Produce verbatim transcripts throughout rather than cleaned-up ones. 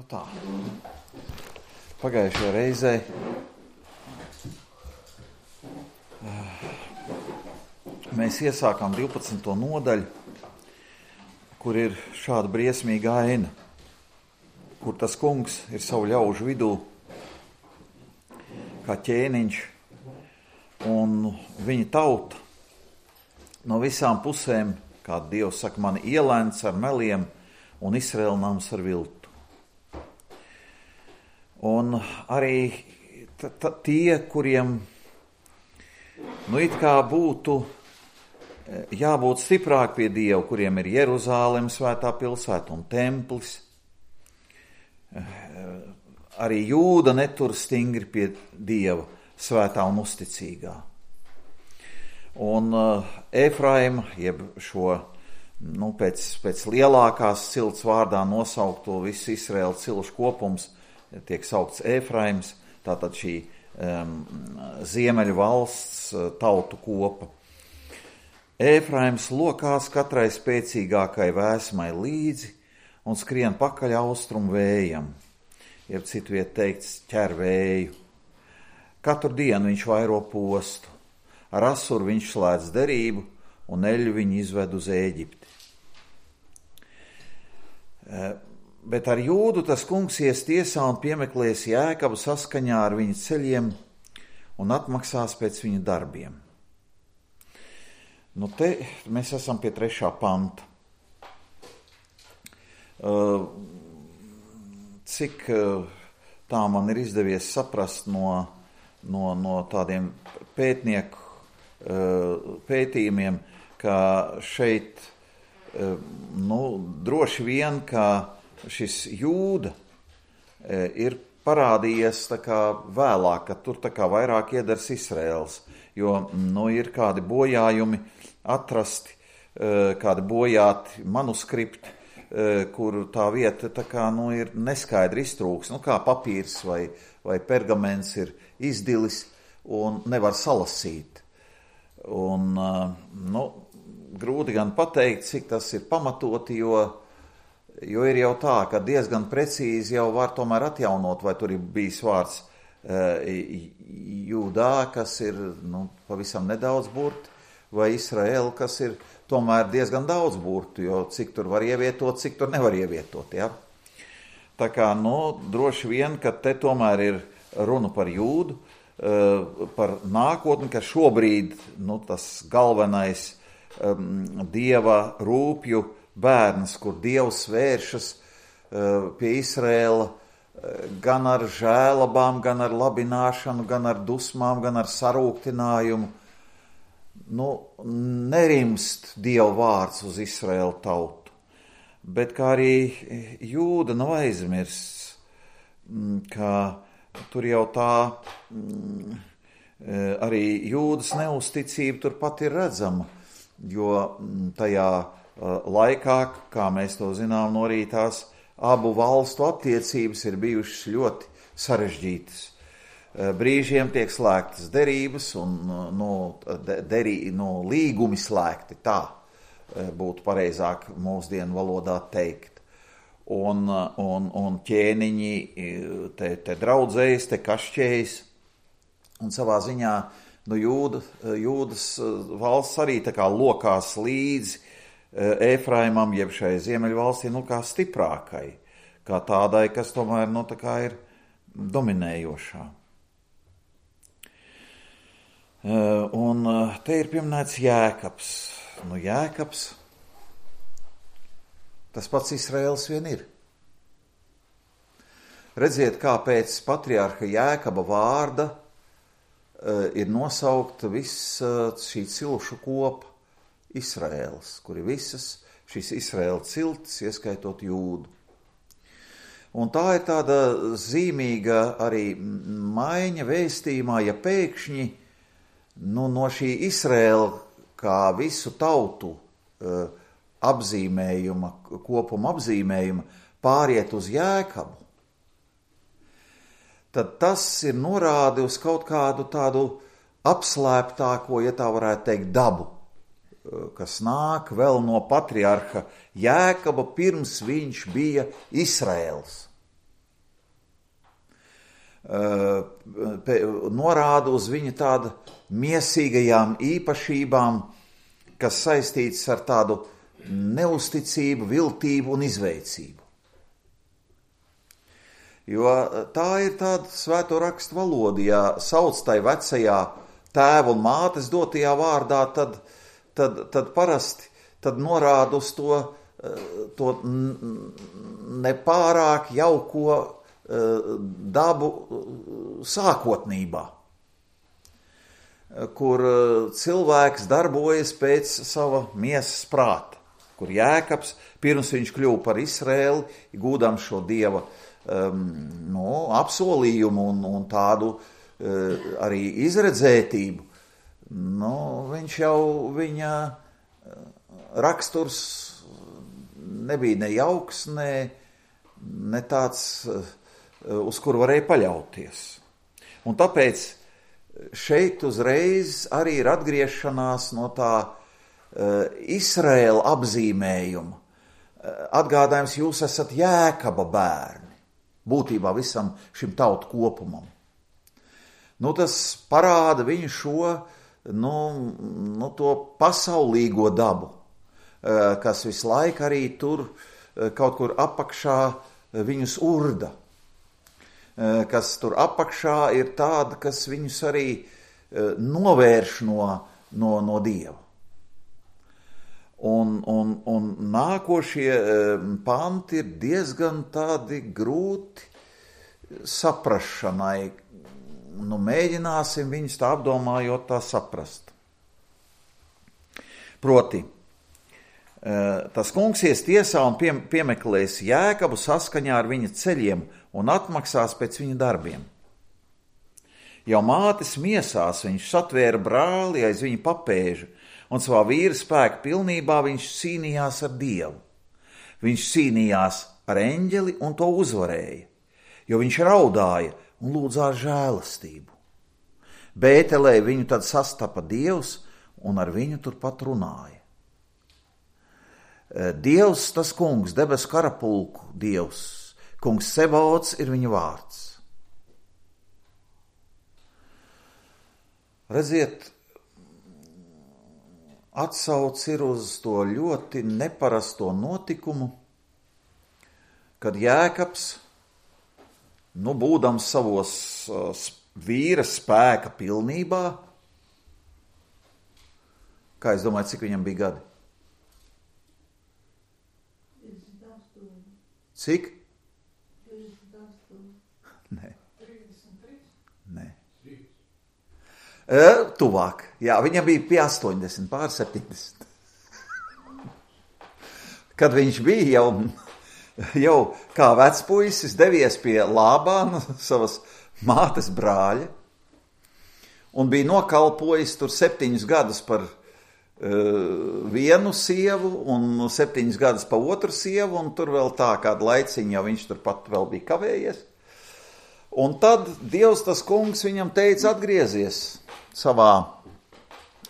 Nu tā, pagājušajā reizē mēs iesākām divpadsmito nodaļu, kur ir šāda briesmīga aina, kur tas kungs ir savu ļaužu vidū, kā ķēniņš, un viņa tauta no visām pusēm, kā Dievs saka, mani ielēns ar meliem un Izraēla nams ar viltu. Un arī t- t- tie, kuriem nu it kā būtu jābūt stiprāk pie Dieva, kuriem ir Jeruzālem svētā pilsēta un templis, arī Jūda netur stingri pie Dieva svētā un uzticīgā. Un uh, Efraima, jeb šo nu, pēc, pēc lielākās cilts vārdā nosaukto visu Izraēlu cilšu kopums, tiek saukts Efraims, tātad šī um, ziemeļu valsts uh, tautu kopa. Efraims lokās katrai spēcīgākai vēsmai līdzi un skrien pakaļ austrumu vējam, jeb citu viet teikts ķer vēju. Katru dienu viņš vairo postu, ar Asuru viņš slēdz derību un eļu viņu izved uz Ēģipti. Uh, Bet ar Jūdu tas kungs ies tiesā un piemeklēs Jēkabu saskaņā ar viņa ceļiem un atmaksās pēc viņa darbiem. Nu te mēs esam pie trešā panta. Cik tā man ir izdevies saprast no, no, no tādiem pētnieku pētījumiem, ka šeit nu, droši vien, ka šis Jūda ir parādījies tā kā vēlāk, ka tur tā kā vairāk iedars Izraēls, jo nu, ir kādi bojājumi atrasti, kādi bojāti manuskripti, kur tā vieta tā kā nu, ir neskaidri iztrūks, nu kā papīrs vai, vai pergaments ir izdilis un nevar salasīt. Un nu, grūti gan pateikt, cik tas ir pamatoti, jo Jo ir jau tā, ka diezgan precīzi jau var tomēr atjaunot, vai tur ir bijis vārds e, Jūdā, kas ir nu, pavisam nedaudz burti, vai Izraēla, kas ir tomēr diezgan daudz burtu, jo cik tur var ievietot, cik tur nevar ievietot. Ja? Tā kā, nu, droši vien, ka te tomēr ir runa par Jūdu, e, par nākotni, ka šobrīd nu, tas galvenais um, Dieva rūpju bērns, kur Dievs vēršas uh, pie Izraēla uh, gan ar žēlabām, gan ar labināšanu, gan ar dusmām, gan ar sarūktinājumu. Nu, nerimst Dieva vārds uz Izraēlu tautu, bet kā arī Jūda nav aizmirsts, ka tur jau tā mm, arī Jūdas neusticība turpat ir redzama, jo tajā laikā, kā mēs to zinām, no arī tās abu valstu attiecības ir bijušas ļoti sarežģītas. Brīžiem tiek slēgtas derības un no, derī, no līgumi slēgti, tā būtu pareizāk mūsdienu valodā teikt. Un, un, un ķēniņi te, te draudzējas, te kašķējas, un savā ziņā nu, Jūda, Jūdas valsts arī tā kā lokās līdzi Efraimam, jeb šai ziemeļvalstī, nu kā stiprākai, kā tādai, kas tomēr, nu tā kā ir dominējošā. Un te ir pieminēts Jēkabs. Nu Jēkabs, tas pats Izraēls vien ir. Redziet, kā pēc patriarha Jēkaba vārda ir nosaukta viss šī cilšu kopa, Izraēls, kuri visas šīs Izraēla ciltis, ieskaitot Jūdu. Un tā ir tāda zīmīga arī maiņa vēstījumā, ja pēkšņi nu, no šī Izraēla kā visu tautu uh, apzīmējuma, kopuma apzīmējuma pāriet uz Jēkabu, tad tas ir norādi uz kaut kādu tādu apslēptāko, ja tā varētu teikt, dabu, kas nāk vēl no patriarha Jēkaba, pirms viņš bija Izraēls. norāda uz viņa tādu miesīgajām īpašībām, kas saistīts ar tādu neusticību, viltību un izveicību. Jo tā ir tāda svēto rakstu valoda, ja sauc tai vecajā tēva un mātes dotajā vārdā, tad, tad, tad parasti tad norāda uz to, to nepārāk jauko dabu sākotnībā, kur cilvēks darbojas pēc sava miesas prāta, kur Jēkabs, pirms viņš kļuva par Izraēli, gūdam šo Dieva um, no, apsolījumu un, un tādu uh, arī izredzētību, no, viņš jau viņa raksturs nebija ne jauks, ne, ne tāds, uz kuru varēja paļauties. Un tāpēc šeit uzreiz arī ir atgriešanās no tā uh, Izraēla apzīmējuma. Uh, atgādājums, jūs esat Jēkaba bērni, būtībā visam šim tautu kopumam. Nu, tas parāda viņu šo, nu, nu, to pasaulīgo dabu, uh, kas visu laiku arī tur uh, kaut kur apakšā viņus urda, kas tur apakšā ir tāda, kas viņus arī novērš no, no, no Dieva. Un, un, un nākošie panti ir diezgan tādi grūti saprašanai. Nu, mēģināsim viņus tā apdomājot tā saprast. Proti, tas kungs ies tiesā un pie, piemeklēs Jēkabu saskaņā ar viņa ceļiem un atmaksās pēc viņa darbiem. Jau mātes miesās viņš satvēra brāli aiz viņa papēža, un savā vīra spēka pilnībā viņš cīnījās ar Dievu. Viņš cīnījās ar eņģeli un to uzvarēja, jo viņš raudāja un lūdzās žēlastību. Bētelē viņu tad sastapa Dievs un ar viņu turpat runāja. Dievs, tas kungs, debesu karapulku Dievs, kungs Sebaots ir viņa vārds. Redziet, atsauc ir uz to ļoti neparasto notikumu, kad Jēkabs, nu, būdams savos vīra spēka pilnībā, kā es domāju, cik viņam bija gadi? Cik? Nē. Nē. E, tuvāk. Jā, viņam bija pie astoņdesmit, pār septiņdesmit. Kad viņš bija jau, jau kā vecpuisis devies pie Lābāna, savas mātes brāļa, un bija nokalpojis tur septiņus gadus par vienu sievu un septiņas gadus pa otru sievu, un tur vēl tā kādu laiciņu, jau viņš tur pat vēl bija kavējies. Un tad Dievs, tas kungs, viņam teica atgriezies savā,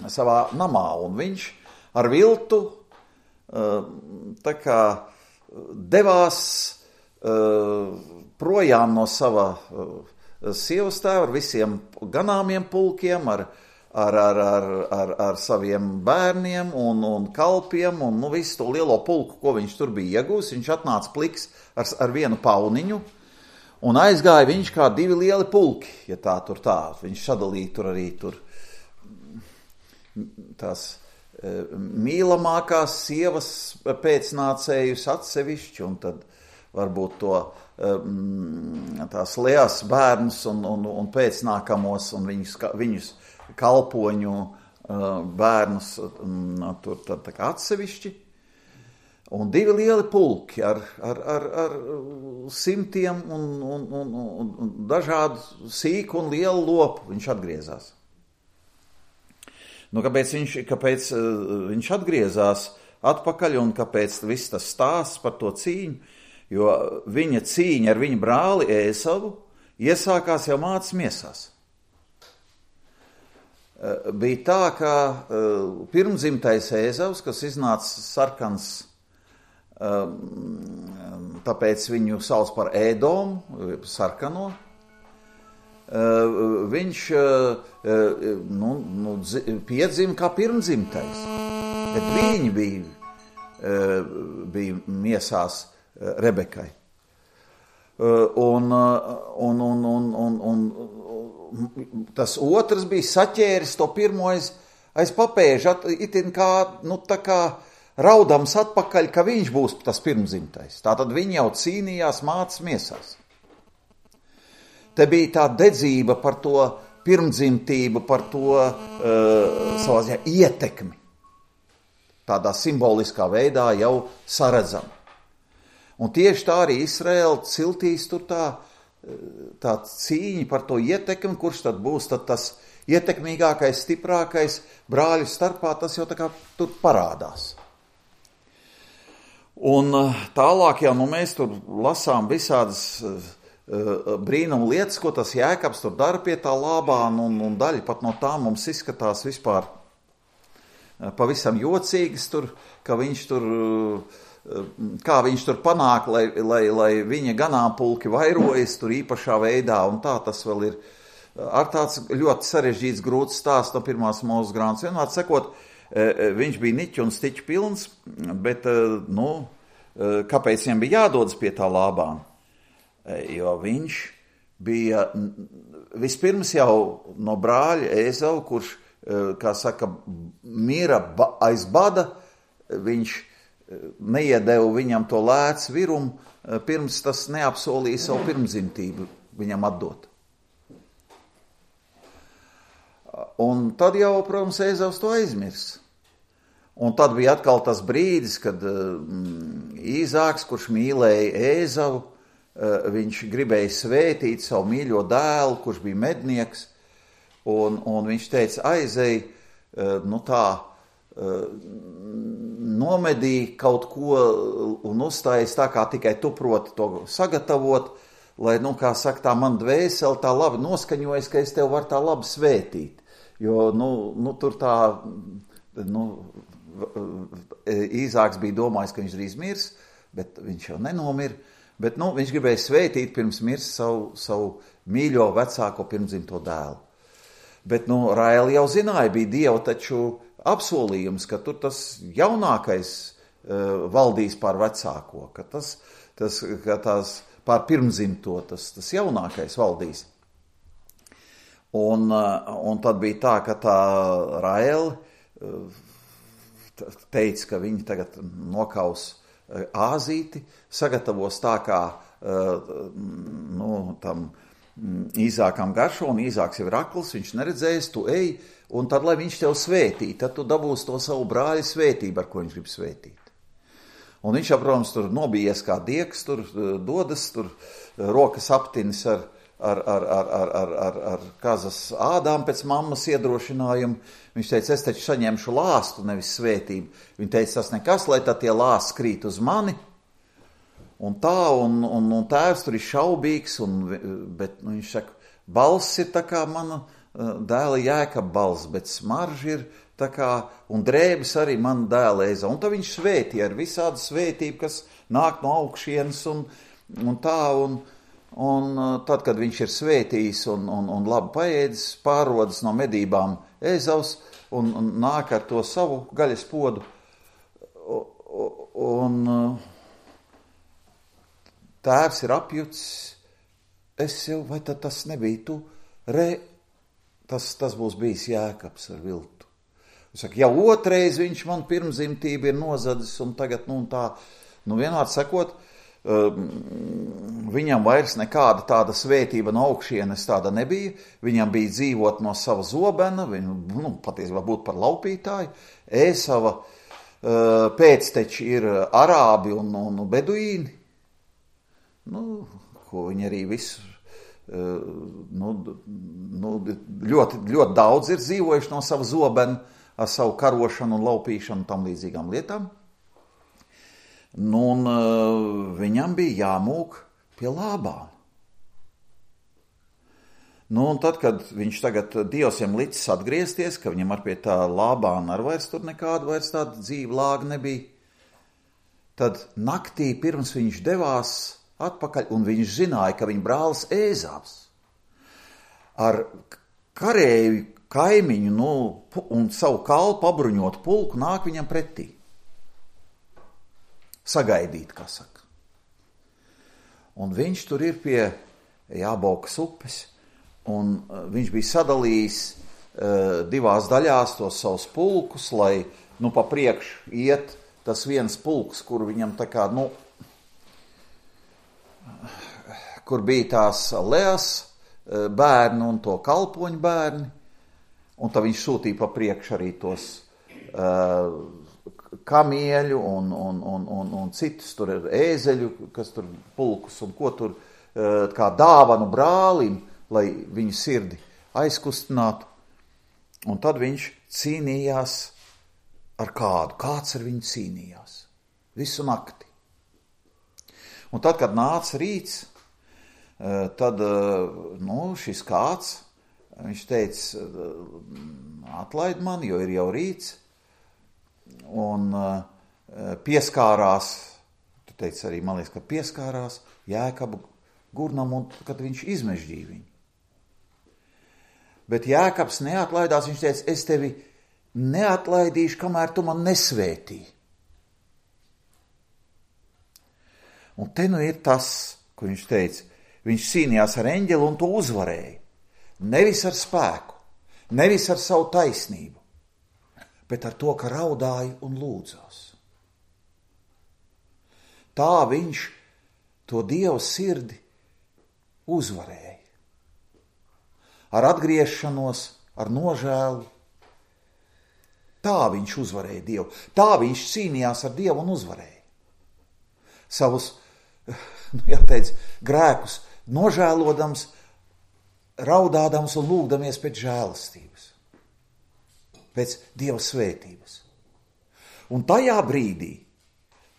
savā namā, un viņš ar viltu tā kā devās projām no sava sievas tēva ar visiem ganāmiem pulkiem, ar Ar, ar, ar, ar, ar saviem bērniem un, un kalpiem un nu, visu to lielo pulku, ko viņš tur bija iegūs. Viņš atnāca pliks ar, ar vienu pauniņu un aizgāja viņš kā divi lieli pulki, ja tā tur tā. Viņš sadalīja tur arī tur tās e, mīlamākās sievas pēcnācējus atsevišķi un tad varbūt to e, tās Lejas bērnus un, un, un pēcnākamos un viņus, viņus kalpoņu bērnus tur tad tā kā atsevišķi. Un divi lieli pulki ar, ar, ar, ar simtiem un, un, un, un dažādu sīku un lielu lopu viņš atgriezās. Nu, kāpēc viņš, kāpēc viņš atgriezās atpakaļ un kāpēc viss tas stāsts par to cīņu? Jo viņa cīņa ar viņa brāli Ēsavu iesākās jau mātes miesās. Bija tā, ka pirmdzimtais Ēzavs, kas iznāca sarkans, tāpēc viņu sauc par Ēdomu, sarkano, viņš nu, nu, piedzima kā pirmdzimtais. Bet viņi bija, bija miesās Rebekai. Un, un, un, un, un, un tas otrs bija saķēris to pirmo aiz, aiz papēža, itin kā, nu, tā kā raudams atpakaļ, ka viņš būs tas pirmdzimtais. Tātad viņi jau cīnījās mātes miesās. Te bija tā dedzība par to pirmdzimtību, par to uh, savā ziņā ietekmi. Tādā simboliskā veidā jau saredzam. Un tieši tā arī Izraēla ciltīs tur tā, tā cīņa par to ietekmi, kurš tad būs tad tas ietekmīgākais, stiprākais brāļu starpā, tas jau tā kā tur parādās. Un tālāk jau nu, mēs tur lasām visādas brīnumu lietas, ko tas Jēkabs tur dara pie tā Lābāna, un, un daļa pat no tā mums izskatās vispār pavisam jocīgas tur, ka viņš tur, kā viņš tur panāk, lai, lai, lai viņa ganāmpulki vairojas tur īpašā veidā, un tā tas vēl ir ar tāds ļoti sarežģīts grūts stāsts no pirmās Mūzes grāmatas. Vienmēr sakot, viņš bija niķu un stiķu pilns, bet, nu, kāpēc viņam bija jādodas pie tā Lābāna? Jo viņš bija vispirms jau no brāļa Ēzau, kurš, kā saka, mira aiz bada, viņš neiedeva viņam to lēts virumu, pirms tas neapsolīja savu pirmdzimtību viņam atdot. Un tad jau, protams, Ēzaus to aizmirs. Un tad bija atkal tas brīdis, kad Īzāks, kurš mīlēja Ēzavu, viņš gribēja svētīt savu mīļo dēlu, kurš bija mednieks, un, un viņš teica, aizej, nu tā, nomedī kaut ko un uzstājas tā, kā tikai tu proti to sagatavot, lai, nu, kā saka, tā man dvēseli tā labi noskaņojas, ka es tev varu tā labi svētīt. Jo, nu, nu tur tā, nu, Īzāks bija domājis, ka viņš drīz mirs, bet viņš jau nenomira. Bet, nu, viņš gribēja svētīt pirms mirs savu, savu mīļo vecāko pirmdzimto dēlu. Bet, nu, Raēla jau zināja, bija Dieva taču apsolījums, ka tur tas jaunākais uh, valdīs pār vecāko, ka tas, tas ka tās pār pirmdzimto, tas, tas jaunākais valdīs. Un, uh, un tad bija tā, ka tā Raēla uh, teica, ka viņi tagad nokaus āzīti, sagatavos tā, kā nu, tam Īzākam garšo, un Īzāks jau ir akls, viņš neredzējis, tu ej, un tad, lai viņš tev svētī, tad tu dabūsi to savu brāļa svētību, ar ko viņš grib svētīt. Un viņš, protams, tur nobijies kā dieks, tur dodas, tur rokas aptinis ar, ar, ar, ar, ar, ar, ar, ar kazas ādām pēc mammas iedrošinājumu. Viņš teica, es taču saņemšu lāstu, nevis svētību. Viņa teica, tas nekas, lai tā tie lāsti krīt uz mani. Un tā, un, un, un tēvs tur ir šaubīgs, un, bet nu, viņš saka, balss ir tā kā mana dēla Jēkaba balss, bet smarža ir tā kā, un drēbes arī mana dēla Ēzau. Un tā viņš svētīja ar visādu svētību, kas nāk no augšienes, un, un tā, un, un tad, kad viņš ir svētījis un, un, un labi paēdis, pārodas no medībām Ēzaus un, un nāk ar to savu gaļas podu. Un tēvs ir apjucis, es jau, vai tad tas nebija tu, re, tas, tas būs bijis Jēkabs ar viltu. Es saku, jau otrais viņš man pirmzimtība ir nozadzis, un tagad, nu, un tā, nu, vienādi sakot, viņam vairs nekāda tāda svētība no augšienes tāda nebija, viņam bija dzīvot no sava zobena, viņu, nu, patiesībā būt par laupītāju, Ēsava pēcteči ir arābi un, un beduīni, nu, ko viņi arī visu, nu, nu, ļoti, ļoti daudz ir dzīvojuši no sava zobena ar savu karošanu un laupīšanu un tam līdzīgām lietām. Nu, un uh, viņam bija jāmūk pie Lābāna. Nu, un tad, kad viņš tagad Dievs jam licis atgriezties, ka viņam ar pie tā Lābāna ar vairs tur nekāda vairs tāda dzīva lāga nebija, tad naktī pirms viņš devās atpakaļ, un viņš zināja, ka viņa brālis Ēzavs ar karēju kaimiņu nu, un savu kalpu apbruņotu pulku nāk viņam pretī. Sagaidīt, kā saka. Un viņš tur ir pie Jābokas upes, un viņš bija sadalījis uh, divās daļās tos savus pulkus, lai nu pa priekšu iet tas viens pulks, kur viņam tā kā, nu, kur bija tās Leas bērni un to kalpoņu bērni, un tad viņš sūtīja pa priekšu arī tos uh, kamieļu un, un, un, un, un citus tur ēzeļu, kas tur pulkus un ko tur uh, kā dāvanu brālim, lai viņu sirdi aizkustinātu. Un tad viņš cīnījās ar kādu, kāds ar viņu cīnījās visu nakti. Un tad, kad nāca rīts, tad nu, šis kāds, viņš teica, atlaid man, jo ir jau rīts, un pieskārās, tu teici arī, man liekas, ka pieskārās Jēkabu gurnam, un kad viņš izmežģīja viņu. Bet Jēkabs neatlaidās, viņš teica, es tevi neatlaidīšu, kamēr tu man nesvētīji. Un te nu ir tas, ko viņš teica, viņš cīnījās ar eņģeli un to uzvarēja. Nevis ar spēku, nevis ar savu taisnību, bet ar to, ka raudāja un lūdzās. Tā viņš to Dieva sirdi uzvarēja. Ar atgriešanos, ar nožēlu. Tā viņš uzvarēja Dievu. Tā viņš cīnījās ar Dievu un uzvarēja. Savus, nu jāteic, grēkus nožēlodams, raudādams un lūgdamies pēc žēlastības. Pēc Dieva svētības. Un tajā brīdī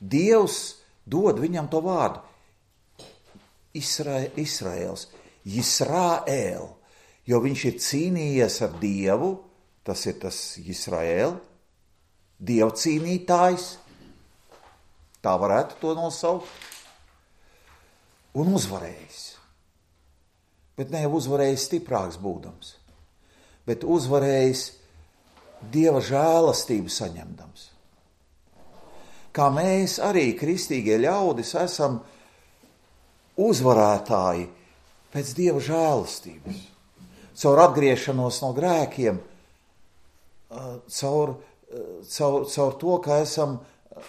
Dievs dod viņam to vārdu. Isra, Israels, Jisraēl, jo viņš ir cīnījies ar Dievu, tas ir tas Jisraēl, Dieva cīnītājs, tā varētu to nosaukt, un uzvarējis. Bet ne jau uzvarējis stiprāks būdams, bet uzvarējis Dieva žēlastību saņemdams. Kā mēs arī, kristīgie ļaudis, esam uzvarētāji pēc Dieva žēlastības, caur atgriešanos no grēkiem, caur, caur, caur to, ka esam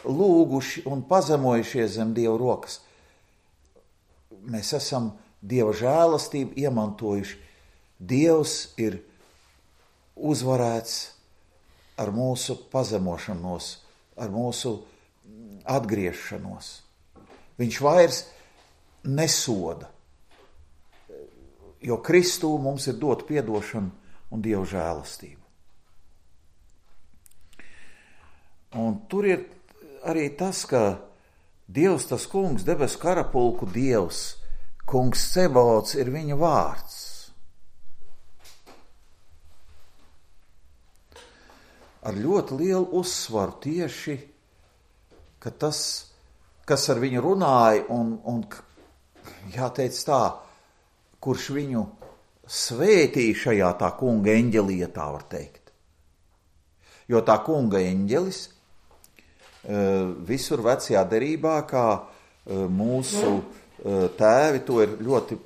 lūguši un pazemojušies zem Dieva rokas. Mēs esam Dieva žēlastību iemantojuši. Dievs ir uzvarēts ar mūsu pazemošanos, ar mūsu atgriešanos. Viņš vairs nesoda, jo Kristū mums ir dot piedošanu un Dieva žēlastību. Un tur ir arī tas, ka Dievs, tas kungs, debesu karapulku Dievs, kungs Cebaots ir viņa vārds. Ar ļoti lielu uzsvaru tieši, ka tas, kas ar viņu runāja un, un jāteic tā, kurš viņu svētīja šajā tā kunga eņģelī, tā var teikt. Jo tā kunga eņģelis visur vecajā derībā, kā mūsu tēvi to ir ļoti,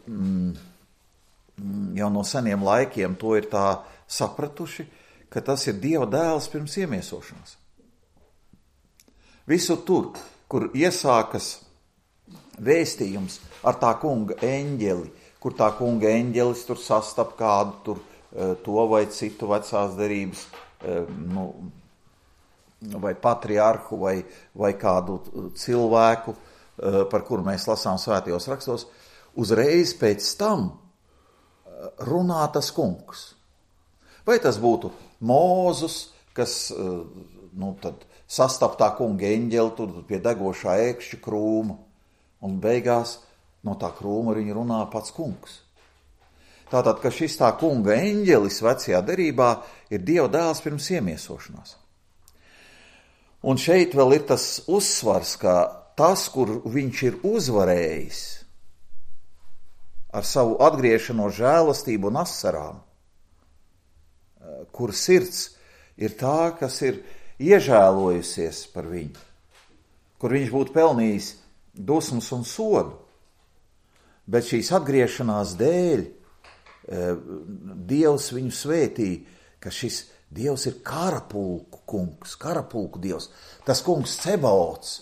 jau no seniem laikiem, to ir tā sapratuši, ka tas ir Dieva dēls pirms iemiesošanas. Visur tur, kur iesākas vēstījums ar tā kunga eņģeli, kur tā kunga eņģelis tur sastap kādu tur to vai citu vecās derības, nu, vai patriarhu, vai, vai kādu cilvēku, par kuru mēs lasām svētajos rakstos, uzreiz pēc tam runā tas kungs. Vai tas būtu Mūzus, kas nu, tad sastap tā kunga eņģeli tur pie degošā ēkšķa krūma, un beigās no tā krūma viņa runā pats kungs. Tātad, ka šis tā kunga eņģelis vecajā derībā ir Dieva dēls pirms iemiesošanās. Un šeit vēl ir tas uzsvars, ka tas, kur viņš ir uzvarējis ar savu atgriešanos žēlastību un asarām, kur sirds ir tā, kas ir iežēlojusies par viņu, kur viņš būtu pelnījis dusmas un sodu, bet šīs atgriešanās dēļ Dievs viņu svētīja, ka šis Dievs ir karapulku kungs, karapulku Dievs. Tas kungs Cebaots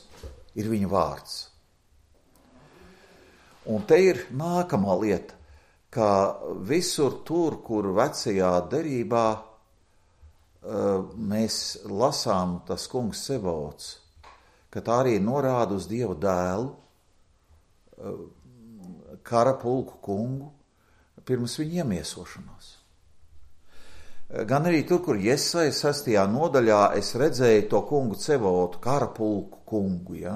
ir viņa vārds. Un te ir nākamā lieta, ka visur tur, kur vecajā derībā mēs lasām tas kungs Cebaots, ka tā arī norāda uz Dieva dēlu, karapulku kungu, pirms viņa iemiesošanās. Gan arī tur, kur Jesaja sastajā nodaļā es redzēju to kungu Cebaotu, karapulku kungu, ja?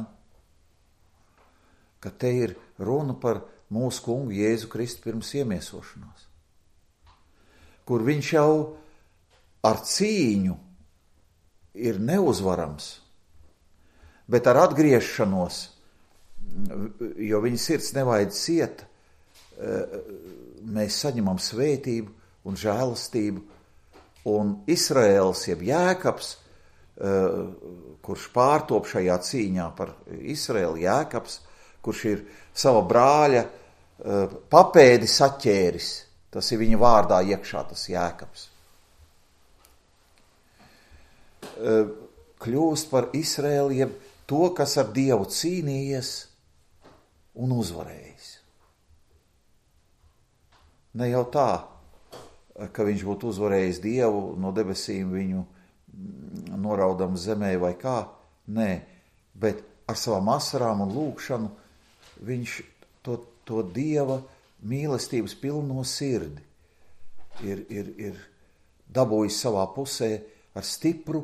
Ka te ir runa par mūsu kungu Jēzu Kristu pirms iemiesošanās, kur viņš jau ar cīņu ir neuzvarams, bet ar atgriešanos, jo viņa sirds nevaid ciet, mēs saņemam svētību un žēlastību, un Izraēls, jeb Jēkabs, kurš pārtop šajā cīņā par Izraēlu, Jēkabs, kurš ir sava brāļa papēdi saķēris, tas ir viņa vārdā iekšā, tas Jēkabs, kļūst par Izraēlu, jeb to, kas ar Dievu cīnījies un uzvarējis. Ne jau tā, ka viņš būtu uzvarējis Dievu, no debesīm viņu noraudam zemē vai kā, nē, bet ar savām asarām un lūgšanu viņš to, to Dieva mīlestības pilno sirdi ir, ir, ir dabūjis savā pusē ar stipru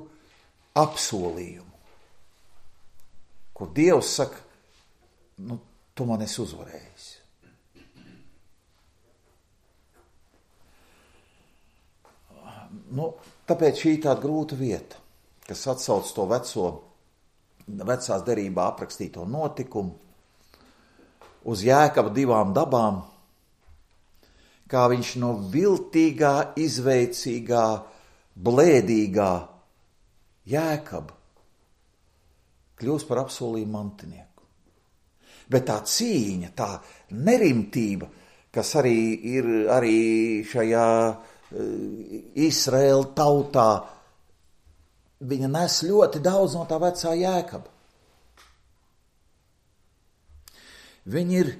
apsolījumu, kur Dievs saka, nu, tu man esi uzvarējis. Nu, tāpēc šī tāda grūta vieta, kas atsauc to veco, vecās derībā aprakstīto notikumu uz Jēkaba divām dabām, kā viņš no viltīgā, izveicīgā, blēdīgā Jēkaba kļūst par apsolījumu mantinieku. Bet tā cīņa, tā nerimtība, kas arī ir arī šajā Izraēla tautā, viņa nes ļoti daudz no tā vecā Jēkaba. Viņa ir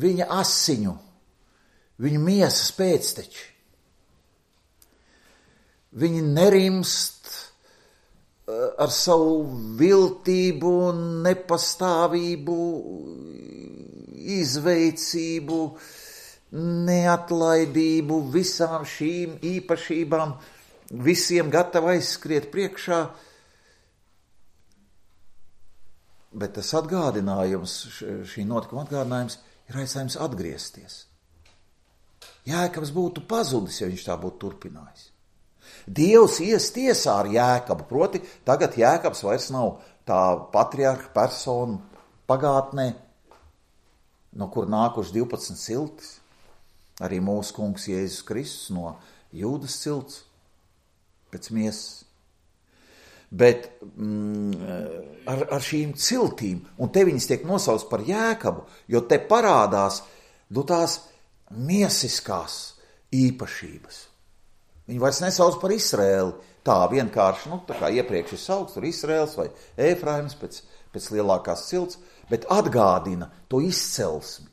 viņa asiņu, viņa miesas pēcteči. Viņi nerimst ar savu viltību, nepastāvību, izveicību, neatlaidību, visām šīm īpašībām, visiem gatavi aizskriet priekšā. Bet tas atgādinājums, šī notikuma atgādinājums ir aicinājums atgriezties. Jēkabs būtu pazudis, ja viņš tā būtu turpinājis. Dievs ies tiesā ar Jēkabu, proti tagad Jēkabs vairs nav tā patriarha persona pagātnē, no kur nākuši divpadsmit ciltis. Arī mūsu kungs Jēzus Kristus no Jūdas cilts pēc miesas. Bet mm, ar, ar šīm ciltīm, un te viņas tiek nosauctas par Jēkabu, jo te parādās nu, tās miesiskās īpašības. Viņi vairs nesauc par Izraēli, tā vienkārši, nu, tā kā iepriekš ir saukts, tur Izraēls vai Ēfraims pēc, pēc lielākās cilts, bet atgādina to izcelsmi.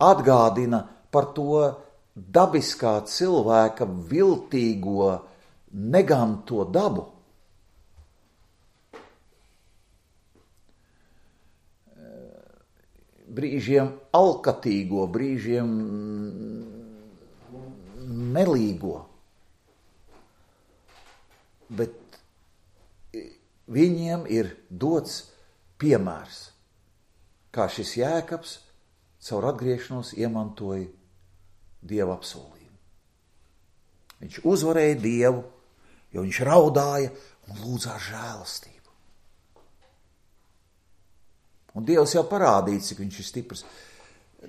Atgādina par to dabiskā cilvēka viltīgo, neganto dabu. Brīžiem alkatīgo, brīžiem melīgo. Bet viņiem ir dots piemērs, kā šis Jēkabs caur atgriešanos iemantoja Dieva apsolījumu. Viņš uzvarēja Dievu, jo viņš raudāja un lūdzās žēlastību. Un Dievs jau parādīja, cik viņš ir stiprs.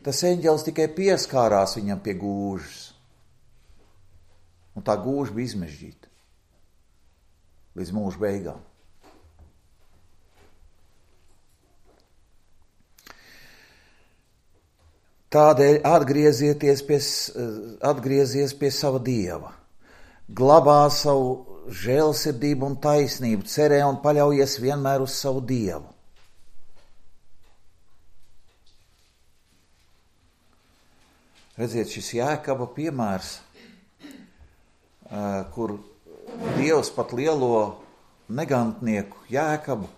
tas eņģelis tikai pieskārās viņam pie gūžas. Un tā gūža bija izmežģīta līdz mūža beigām. Tādēļ atgriezieties pie, atgriezies pie sava Dieva, glabā savu žēlsirdību un taisnību, cerē un paļaujies vienmēr uz savu Dievu. Redziet, šis Jēkaba piemērs, kur Dievs pat lielo negantnieku Jēkabu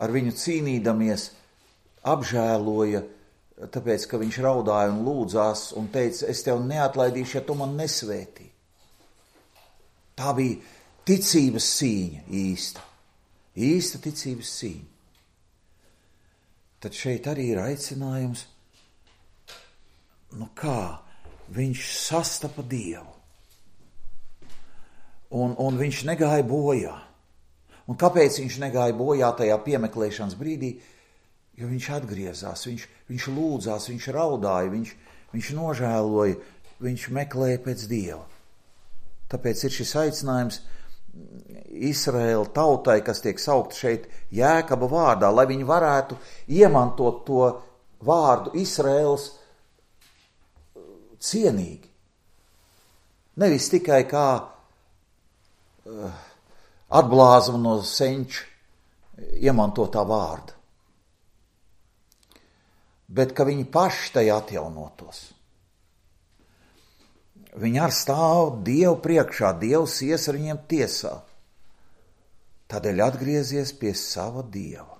ar viņu cīnīdamies apžēloja, tāpēc, ka viņš raudāja un lūdzās un teica, es tev neatlaidīšu, ja tu man nesvētī. Tā bija ticības cīņa īsta. Īsta ticības cīņa. Tad šeit arī ir aicinājums, nu kā, viņš sastapa Dievu. Un, un viņš negāja bojā. Un kāpēc viņš negāja bojā tajā piemeklēšanas brīdī? Jo viņš atgriezās, viņš, viņš lūdzās, viņš raudāja, viņš, viņš nožēloja, viņš meklēja pēc Dieva. Tāpēc ir šis aicinājums Izraēla tautai, kas tiek saukt šeit Jēkaba vārdā, lai viņi varētu iemantot to vārdu Izraēls cienīgi. Nevis tikai kā uh, atblāzuma no senča iemantotā vārda, bet ka viņi paši tajā atjaunotos. Viņi ar stāv Dievu priekšā, Dievs ies ar viņiem tiesā. Tādēļ atgriezies pie sava Dieva.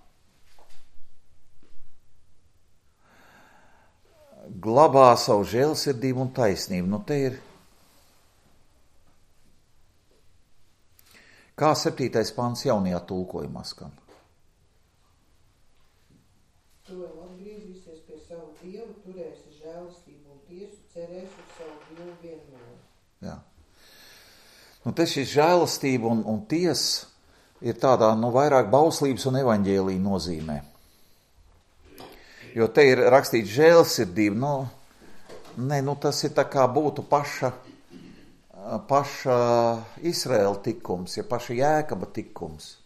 Glabā savu žēlsirdību un taisnību. Nu te ir, kā septītais pants jaunajā tulkojumā skan. Tu vēl atgriezīsies pie savu Dievu, turēsi žēlistību un tiesu, cerēsi uz savu Dievu vienmēr. Jā. Nu, te šis žēlistība un, un tiesa ir tādā, nu, vairāk bauslības un evaņģēlija nozīmē. Jo te ir rakstīts žēlsirdība, nu, ne, nu, tas ir tā kā būtu paša, paša Izraēla tikums, ja paša Jēkaba tikums.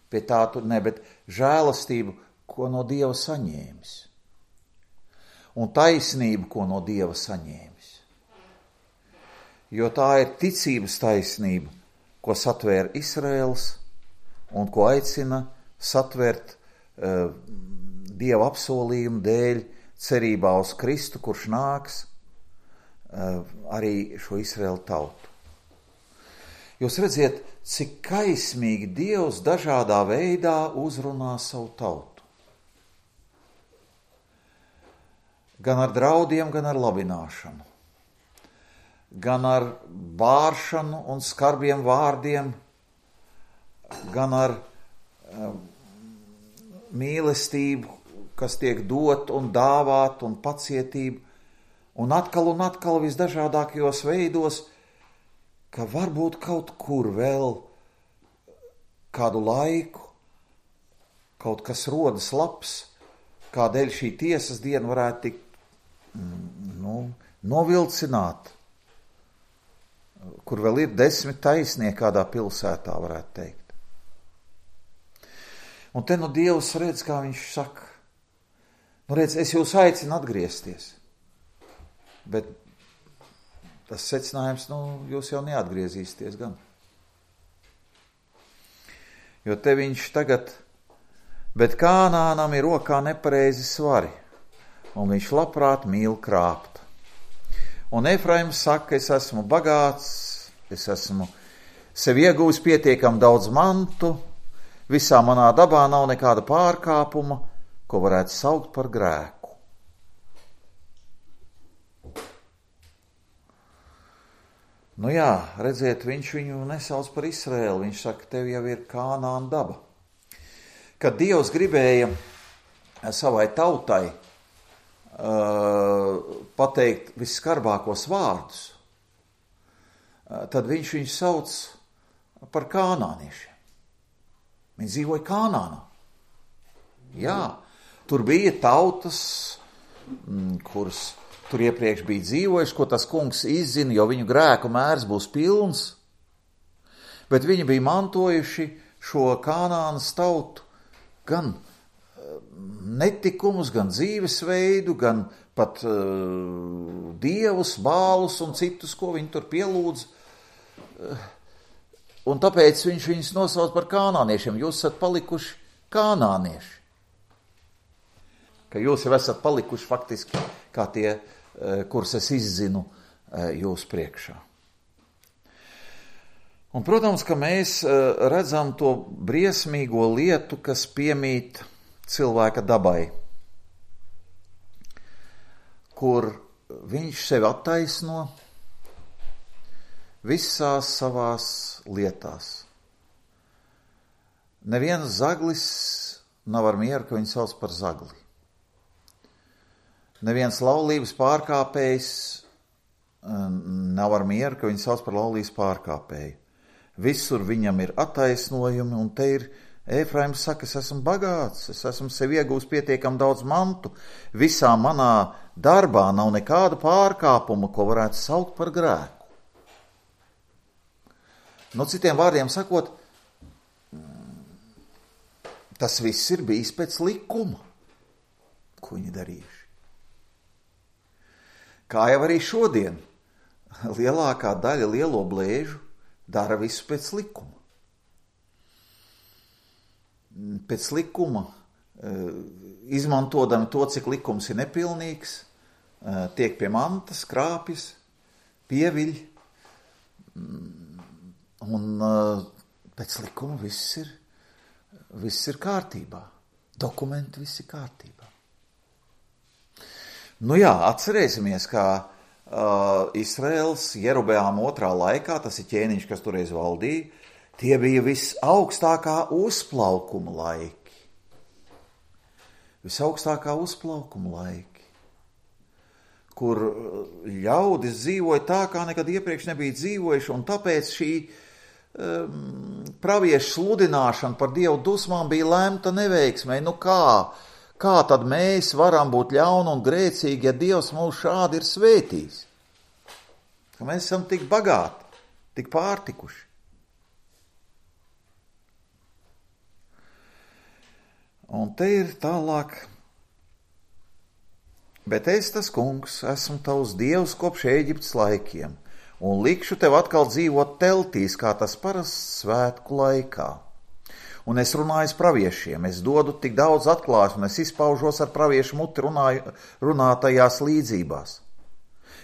Pie tā tur ne, bet žēlistību, ko no Dieva saņēmis. Un taisnību, ko no Dieva saņēmis. Jo tā ir ticības taisnība, ko satvēra Izraēls un ko aicina satvert uh, Dieva apsolījumu dēļ cerībā uz Kristu, kurš nāks uh, arī šo Izraēlu tautu. Jūs redziet, cik kaismīgi Dievs dažādā veidā uzrunā savu tautu. Gan ar draudiem, gan ar labināšanu. Gan ar bāršanu un skarbiem vārdiem, gan ar um, mīlestību, kas tiek dot un dāvāt un pacietību, un atkal un atkal visdažādākajos veidos, ka varbūt kaut kur vēl kādu laiku, kaut kas rodas labs, kādēļ šī tiesas diena varētu tikt nu, novilcināt, kur vēl ir desmit taisnieki kādā pilsētā, varētu teikt. Un te nu Dievs redz, kā viņš saka, nu redz, es jūs aicinu atgriezties, bet tas secinājums, nu, jūs jau neatgriezīsieties gan. Jo te viņš tagad, bet Kānānam ir rokā nepareizi svari, un viņš labprāt mīl krāpt. Un Efraims saka, es esmu bagāts, es esmu sev iegūs pietiekam daudz mantu, visā manā dabā nav nekāda pārkāpuma, ko varētu saukt par grēku. Nu jā, redziet, viņš viņu nesauc par Izraēlu, viņš saka, tev jau ir Kānāna daba. Kad Dievs gribēja savai tautai uh, pateikt visskarbākos vārdus, uh, tad viņš viņu sauc par kānāniešiem. Viņi dzīvoja Kānānā. Jā, tur bija tautas, kurus tur iepriekš bija dzīvojuši, ko tas kungs izzina, jo viņu grēku mērs būs pilns, bet viņi bija mantojuši šo Kanānas tautu gan netikumus, gan dzīvesveidu, gan pat uh, dievus, bālus un citus, ko viņi tur pielūdz. Uh, un tāpēc viņš viņus nosauc par kanāniešiem. Jūs esat palikuši kanānieši. Ka jūs jau esat palikuši faktiski kā tie, uh, kurus es izzinu uh, jūs priekšā. Un, protams, ka mēs uh, redzam to briesmīgo lietu, kas piemīt cilvēka dabai, kur viņš sevi attaisno visās savās lietās. Neviens zaglis nav ar mieru, ka viņu sauc par zagli. Neviens laulības pārkāpējs nav ar mieru, ka viņu sauc par laulības pārkāpēju. Visur viņam ir attaisnojumi, un te ir Efraims saka, es esmu bagāts, es esmu sev iegūst pietiekam daudz mantu, visā manā darbā nav nekāda pārkāpuma, ko varētu saukt par grēku. No citiem vārdiem sakot, tas viss ir bijis pēc likuma, ko viņi darījuši. Kā jau arī šodien, lielākā daļa lielo blēžu dara visu pēc likuma. Pēc likuma, izmantodami to, cik likums ir nepilnīgs, tiek pie mantas, krāpjas, pieviļ, un pēc likuma viss ir, viss ir kārtībā. Dokumenti viss ir kārtībā. Nu jā, atcerēsimies, kā uh, Izraels Jerobeām otrā laikā, tas ir ķēniņš, kas toreiz valdīja, tie bija visaugstākā uzplaukuma laiki. Visaugstākā uzplaukuma laiki, kur ļaudis dzīvoja tā, kā nekad iepriekš nebija dzīvojuši, un tāpēc šī um, praviešu sludināšana par Dievu dusmām bija lemta neveiksmē. Nu kā? Kā tad mēs varam būt ļauni un grēcīgi, ja Dievs mūs šādi ir svētījis? Ka mēs esam tik bagāti, tik pārtikuši. Un te ir tālāk, bet es, tas kungs, esmu tavs dievs kopš Ēģiptes laikiem, un likšu tev atkal dzīvot teltīs, kā tas parasts svētku laikā. Un es runāju praviešiem, es dodu tik daudz atklāsmu, un es izpaužos ar praviešu muti runāju, runātajās līdzībās.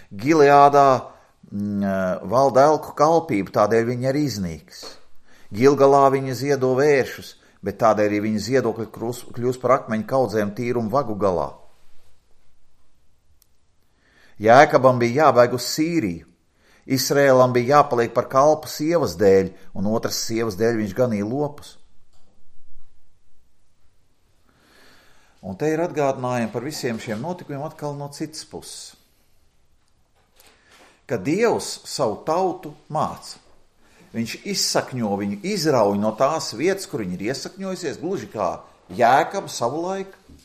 Gileādā mm, valda elku kalpība, tādēļ viņa ir iznīks. Gilgalā viņa ziedo vēršus, bet tādēļ arī viņa ziedokļi kļūst par akmeņu kaudzēm tīrumu vagu galā. Jēkabam bija jābēg uz Sīriju, Izrēlam bija jāpaliek par kalpu sievas dēļ, un otras sievas dēļ viņš ganīja lopus. Un te ir atgādinājumi par visiem šiem notikumiem atkal no citas puses. Ka Dievs savu tautu māca. Viņš izsakņo viņu, izrauj no tās vietas, kur viņi ir iesakņojusies, gluži kā Jēkab savu laiku.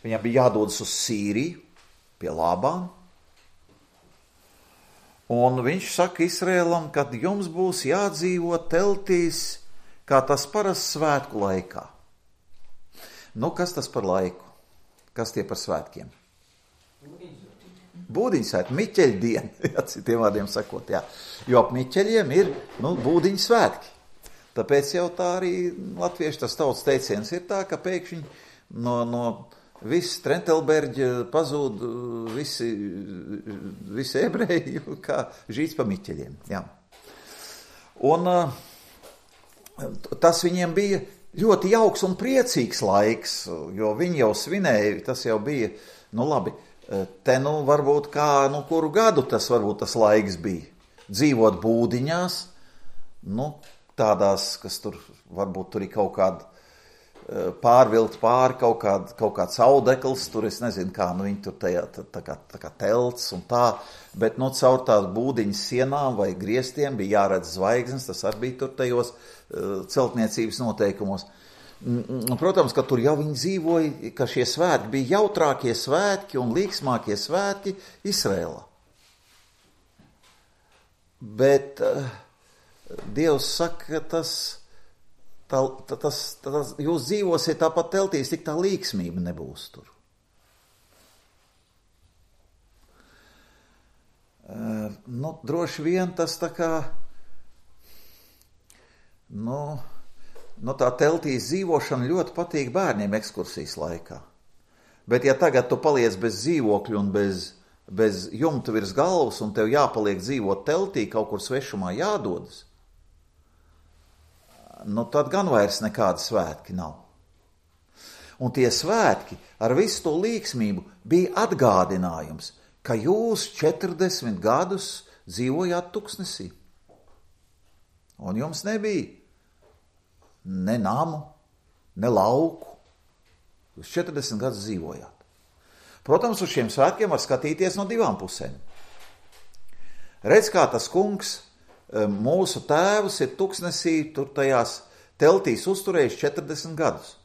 Viņam bija jādodas uz Sīriju, pie Lābāna. Un viņš saka Izrēlam, ka jums būs jādzīvo teltīs, kā tas parasts svētku laikā. Nu, kas tas par laiku? Kas tie par svētkiem? Būdiņu svētki, Miķeļa diena, jā, citiem vārdiem sakot, jā. Jo ap Miķeļiem ir, nu, būdiņu svētki. Tāpēc jau tā arī latviešu tas tautas teiciens ir tā, ka pēkšņi no, no viss Trentelberģa pazūd visi, visi ebreji, kā žīts pa Miķeļiem, jā. Un tas viņiem bija ļoti jauks un priecīgs laiks, jo viņi jau svinēja, tas jau bija, nu labi, te nu varbūt kā, nu kuru gadu tas varbūt tas laiks bija. Dzīvot būdiņās, nu tādās, kas tur varbūt tur ir kaut kāda pārvilkt pāri, kaut, kād, kaut kāds audekls, tur es nezinu kā, nu viņi tur tajā, tā, tā, kā, tā kā telts un tā, bet nu caur tās būdiņas sienām vai griestiem bija jāredz zvaigznes, tas arī bija tur tajos uh, celtniecības noteikumos. Protams, ka tur jau viņi dzīvoja, ka šie svētki bija jautrākie svētki un līksmākie svētki Izrēlā. Bet uh, Dievs saka, ka tas, tā, tas, tas, jūs dzīvosiet tāpat teltīs, tik tā līksmība nebūs tur. Uh, nu, droši vien tas tā kā, nu, nu tā teltīs dzīvošana ļoti patīk bērniem ekskursijas laikā. Bet ja tagad tu paliec bez dzīvokļu un bez, bez jumta virs galvas un tev jāpaliek dzīvot teltī, kaut kur svešumā jādodas, nu tad gan vairs nekādi svētki nav. Un tie svētki ar visu to līksmību bija atgādinājums, ka jūs četrdesmit gadus dzīvojāt tuksnesī. Un jums nebija ne namu, ne lauku. Jūs četrdesmit gadus dzīvojāt. Protams, uz šiem svētkiem var skatīties no divām pusēm. Redz, kā tas kungs, mūsu tēvs ir tuksnesī, tur tajās teltīs uzturējis četrdesmit gadus.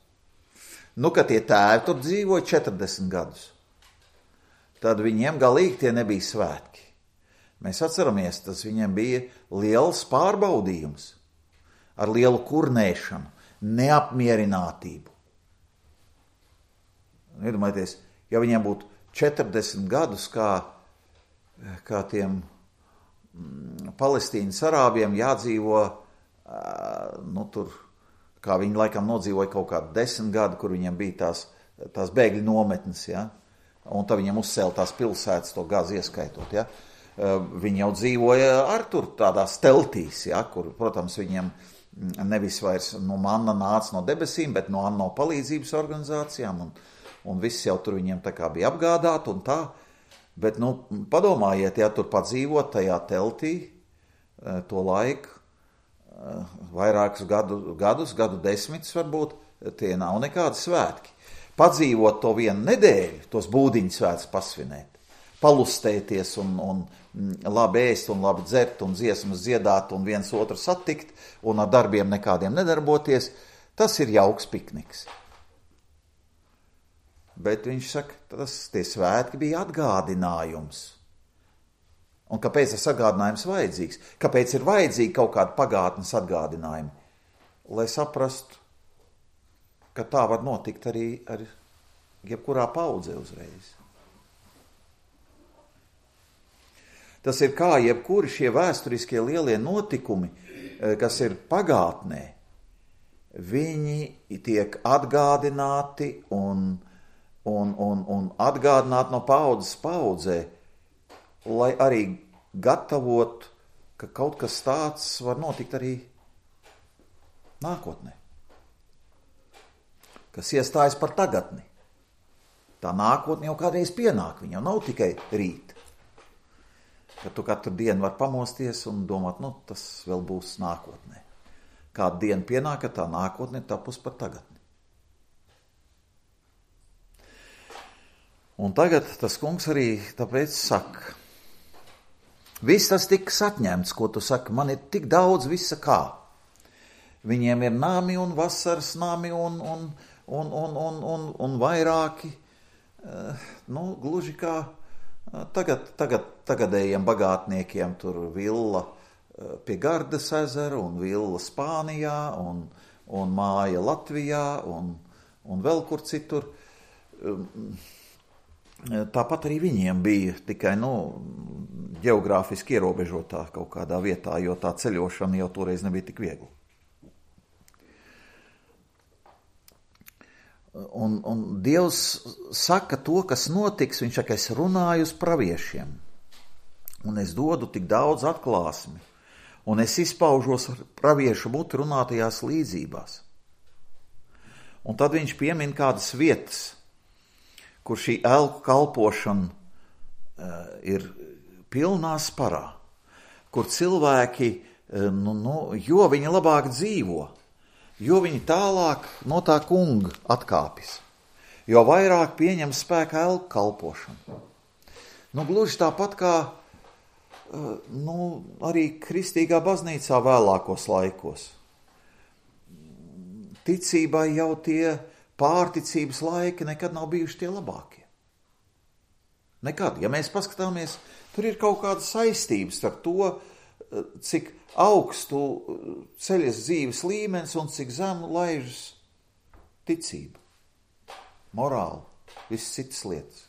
Nu, kad tie tēvi tur dzīvoja četrdesmit gadus, tad viņiem galīgi tie nebija svētki. Mēs atceramies, tas viņiem bija liels pārbaudījums, ar lielu kurnēšanu, neapmierinātību. Iedomājieties, ja viņiem būtu četrdesmit gadus, kā, kā tiem mm, Palestīnas arābiem jādzīvo, nu tur, kā viņi laikam nodzīvoja kaut kādu desmit gadu, kur viņiem bija tās, tās bēgļu nometnes, ja? Un tad viņiem uzcēla tās pilsētas, to gāzi ieskaitot, ja? Viņi jau dzīvoja ar tur tādās teltīs, ja? Kur, protams, viņiem nevis vairs no manna nāca no debesīm, bet no ANO palīdzības organizācijām, un, un viss jau tur viņiem tā kā bija apgādāti un tā. Bet, nu, padomājiet, ja tur padzīvot tajā teltī to laiku, vairākus gadu, gadus, gadu desmitus varbūt, tie nav nekādi svētki. Padzīvot to vienu nedēļu, tos būdiņu svētus pasvinēt, palustēties un, un labi ēst un labi dzert un dziesmas dziedāt un viens otru satikt un ar darbiem nekādiem nedarboties, tas ir jauks pikniks. Bet viņš saka, tas tie svētki bija atgādinājums. Un kāpēc tas atgādinājums vajadzīgs? Kāpēc ir vajadzīgi kaut kādi pagātnes atgādinājumi? Lai saprastu, ka tā var notikt arī ar jebkurā paudzē uzreiz. Tas ir kā jebkuri šie vēsturiskie lielie notikumi, kas ir pagātnē, viņi tiek atgādināti un, un, un, un atgādināti no paudzes paudzē, lai arī gatavot, ka kaut kas tāds var notikt arī nākotnē. Kas iestājas par tagadni. Tā nākotne jau kādreiz pienāk, viņa jau nav tikai rīt. Ka tu katru dienu var pamosties un domāt, nu, tas vēl būs nākotnē. Kāda diena pienāk, ka tā nākotne tapus par tagadni. Un tagad tas kungs arī tāpēc saka, viss tas tiks atņemts, ko tu saki, man ir tik daudz visa kā. Viņiem ir nami un vasaras nami un, un, un, un, un, un, un vairāki, nu, gluži kā Tagad, tagad, tagadējiem bagātniekiem tur villa pie Gardas ezera un villa Spānijā un, un māja Latvijā un, un vēl kur citur. Tāpat arī viņiem bija tikai, nu, ģeogrāfiski ierobežotā kaut kādā vietā, jo tā ceļošana jau toreiz nebija tik viegla. Un, un Dievs saka to, kas notiks, viņš saka, es runāju uz praviešiem, un es dodu tik daudz atklāsmi, un es izpaužos ar praviešu muti runātajās līdzībās. Un tad viņš piemin kādas vietas, kur šī elku kalpošana uh, ir pilnā sparā, kur cilvēki, uh, nu, nu, jo viņi labāk dzīvo, jo viņi tālāk no tā kunga atkāpjas, jo vairāk pieņem spēkā elku kalpošanu. Nu, gluži tāpat kā nu, arī kristīgā baznīcā vēlākos laikos. ticībai jau tie pārticības laiki nekad nav bijuši tie labākie. Nekad. Ja mēs paskatāmies, tur ir kaut kāda saistības ar to, cik augstu ceļas dzīves līmenis un cik zemu laižas ticība, morāli, visas citas lietas.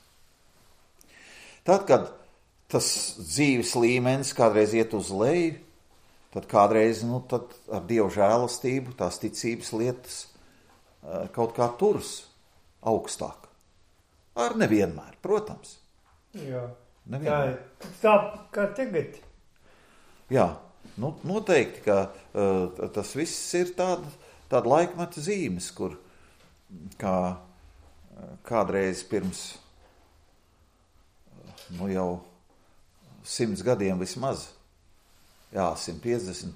Tad, kad tas dzīves līmenis kādreiz iet uz leju, tad kādreiz, nu, tad ar Dievu žēlastību tās ticības lietas kaut kā turas augstāk. Ar nevienmēr, protams. Jā, Nevienmēr. tā, tā kā tagad. Jā, nu, noteikti, ka uh, tas viss ir tāda, tāda laikmeta zīmes, kur kā kādreiz pirms nu jau simts gadiem vismaz, jā, simt piecdesmit,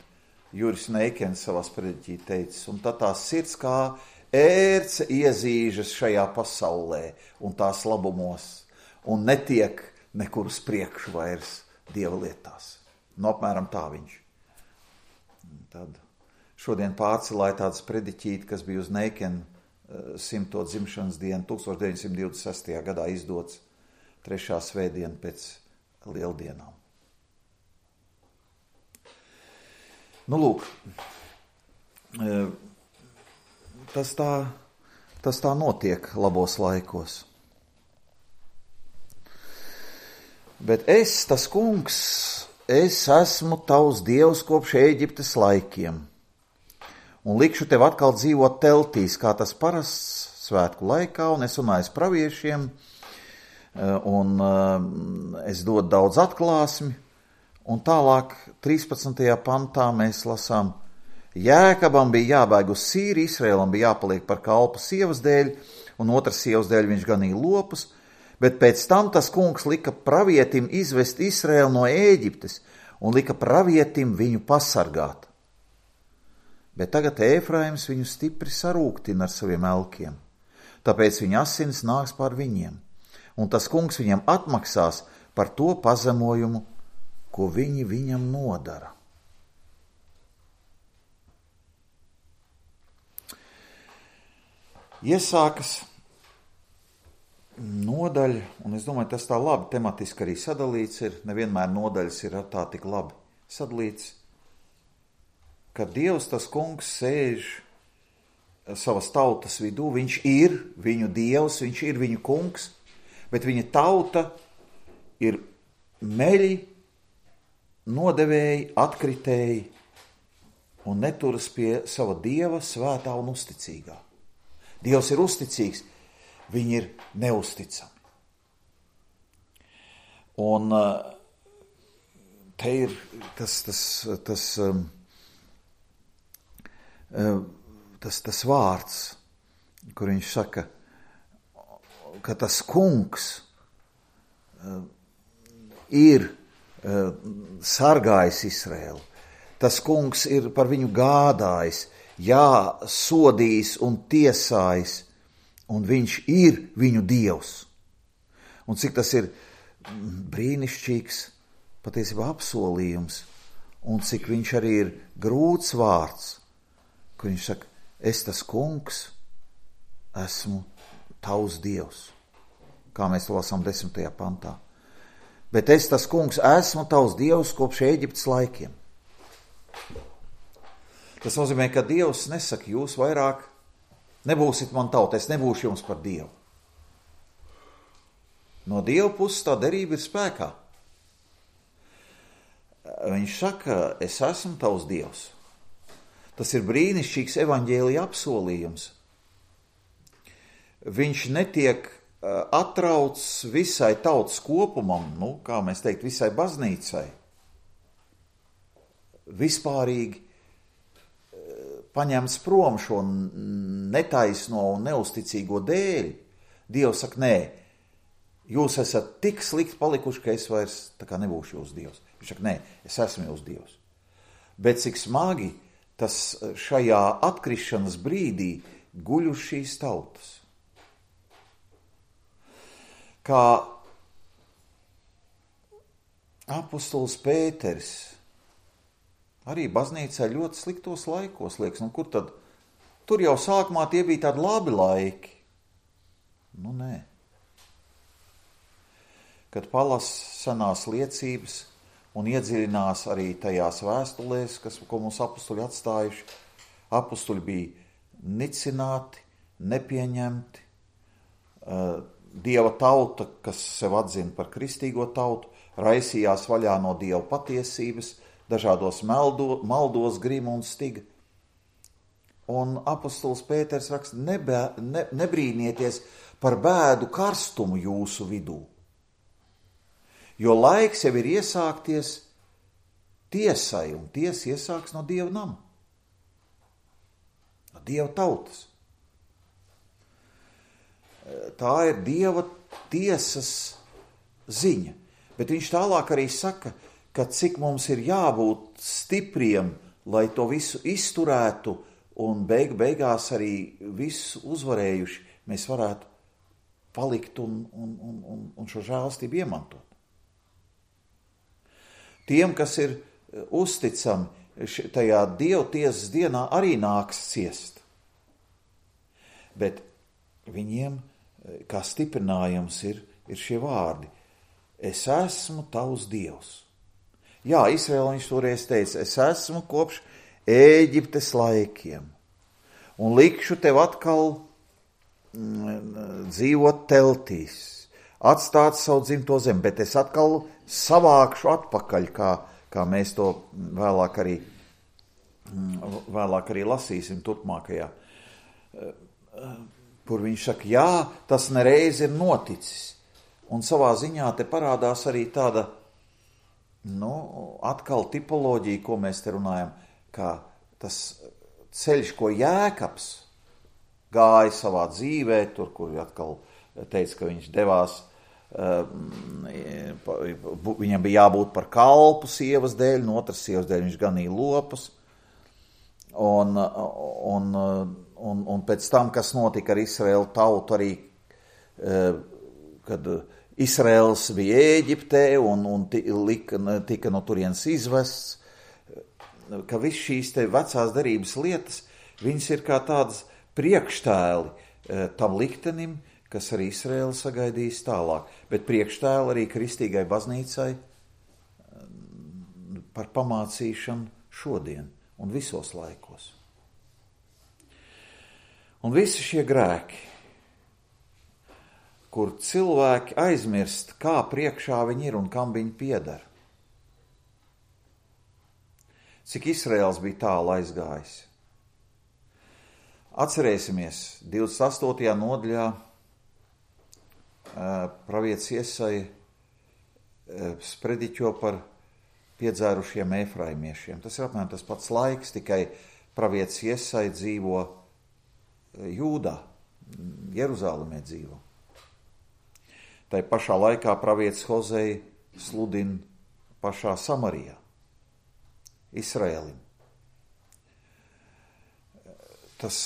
Juris Neikens savā sprediķī teicis, un tad tās sirds kā ērce iezīžas šajā pasaulē un tās labumos, un netiek nekur uz priekšu vairs Dieva lietās. Nu, apmēram tā viņš. Tad šodien pārcelāja tādu sprediķīti, kas bija uz Neikena simto dzimšanas dienu, tūkstoš deviņsimt divdesmit sestajā gadā izdots trešā svētdiena pēc lieldienām. Nu, lūk, tas tā, tas tā notiek labos laikos. Bet es, tas kungs, es esmu tavs dievs kopš Ēģiptes laikiem, un likšu tev atkal dzīvot teltīs, kā tas parasts svētku laikā, un es runāju praviešiem, un es dodu daudz atklāsmi, un tālāk trīspadsmitajā pantā mēs lasām, Jēkabam bija jābēg uz Sīriju, Izraēlam bija jāpaliek par kalpu sievas dēļ, un otras sievas dēļ viņš ganīja lopus, bet pēc tam tas kungs lika pravietim izvest Izraēlu no Ēģiptes, un lika pravietim viņu pasargāt. Bet tagad Ēfraims viņu stipri sarūktina ar saviem elkiem, tāpēc viņa asins nāks pār viņiem, un tas kungs viņam atmaksās par to pazemojumu, ko viņi viņam nodara. Iesākas nodaļa, un es domāju, tas tā labi tematiski arī sadalīts ir, nevienmēr nodaļas ir tā tik labi sadalīts, ka Dievs, tas kungs, sēž savas tautas vidū, viņš ir viņu Dievs, viņš ir viņu kungs, bet viņa tauta ir meļi, nodevēji, atkritēji un neturas pie sava Dieva svētā un uzticīgā. Dievs ir uzticīgs, viņi ir neusticami. Un te ir tas, tas, tas, tas, tas vārds, kur viņš saka, ka tas kungs ir sargājis Izraēlu. Tas kungs ir par viņu gādājis, jā, sodījis un tiesājis, un viņš ir viņu Dievs. Un cik tas ir brīnišķīgs, patiesībā apsolījums, un cik viņš arī ir grūts vārds, ka viņš saka, es tas kungs esmu tavs Dievs, kā mēs to lasām desmitajā pantā. Bet es tas kungs esmu tavs Dievs kopš Ēģiptes laikiem. Tas nozīmē, ka Dievs nesaka, jūs vairāk nebūsit man tauta, es nebūšu jums par Dievu. No Dieva puses tā derība ir spēkā. Viņš saka, es esmu tavs Dievs. Tas ir brīnišķīgs evaņģēlija apsolījums. Viņš netiek atrauc visai tautas kopumam, nu, kā mēs teikt, visai baznīcai. Vispārīgi paņemts prom šo netaisno un neusticīgo dēļ. Dievs saka, nē, jūs esat tik slikti palikuši, ka es vairs tā kā nebūšu jūs Dievs. Viņš saka, nē, es esmu jūs Dievs. Bet cik smagi tas šajā atkrišanas brīdī guļ uz šīs tautas. Kā apostols Pēteris arī baznīcā ļoti sliktos laikos liekas, nu kur tad tur jau sākumā tie bija tādi labi laiki. Nu, nē. Kad palas senās liecības un iedziļinās arī tajās vēstulēs, kas, ko mums apustuļi atstājuši, apustuļi bija nicināti, nepieņemti. Dieva tauta, kas sev atzina par kristīgo tautu, raisījās vaļā no Dieva patiesības, dažādos meldo, maldos grima un stiga. Un apustulis Pēters raksta, nebē, ne, nebrīnieties par bēdu karstumu jūsu vidū, jo laiks jau ir iesākties tiesai, un tiesa iesāks no Dieva nama, no Dieva tautas. Tā ir Dieva tiesas ziņa, bet viņš tālāk arī saka, ka cik mums ir jābūt stipriem, lai to visu izturētu un beig, beigās arī visu uzvarējuši, mēs varētu palikt un, un, un, un šo žēlastību iemantot. Tiem, kas ir uzticami tajā Dieva tiesas dienā, arī nāks ciest. Bet viņiem, kā stiprinājums, ir, ir šie vārdi. Es esmu tavs Dievs. Jā, Izraēla viņš toreiz teica, es esmu kopš Ēģiptes laikiem un likšu tev atkal mm, dzīvot teltīs, atstāt savu dzimto zemi, bet es atkal savākšu atpakaļ, kā, kā mēs to vēlāk arī, vēlāk arī lasīsim turpmākajā. Kur viņš saka, jā, tas nereiz ir noticis. Un savā ziņā te parādās arī tāda, nu, atkal tipoloģija, ko mēs te runājam, kā tas ceļš, ko Jēkabs gāja savā dzīvē, tur, kur atkal teica, ka viņš devās, viņam bija jābūt par kalpu sievas dēļ, no otras sievas dēļ viņš ganīja lopus, un, un, un, un pēc tam, kas notika ar Izraēlu tautu arī, kad Izraēls bija Ēģiptē un, un tika, tika no turienes izvests, ka viss šīs te vecās derības lietas, viņas ir kā tādas priekštēli tam liktenim, kas arī Izraēla sagaidīs tālāk, bet priekštēli arī kristīgai baznīcai par pamācīšanu šodien un visos laikos. Un visi šie grēki, kur cilvēki aizmirst, kā priekšā viņi ir un kam viņi pieder. Cik Izraēls bija tālu aizgājis. Atcerēsimies, divdesmit astotajā nodaļā pravietis Iesaja sprediķo par piedzērušiem efraimiešiem. Tas ir apmēram tas pats laiks, tikai pravietis Iesaja dzīvo Jūdā, Jeruzālemē dzīvo. Tai pašā laikā pravietis Hozei sludina pašā Samarijā, Izraēlim. Tas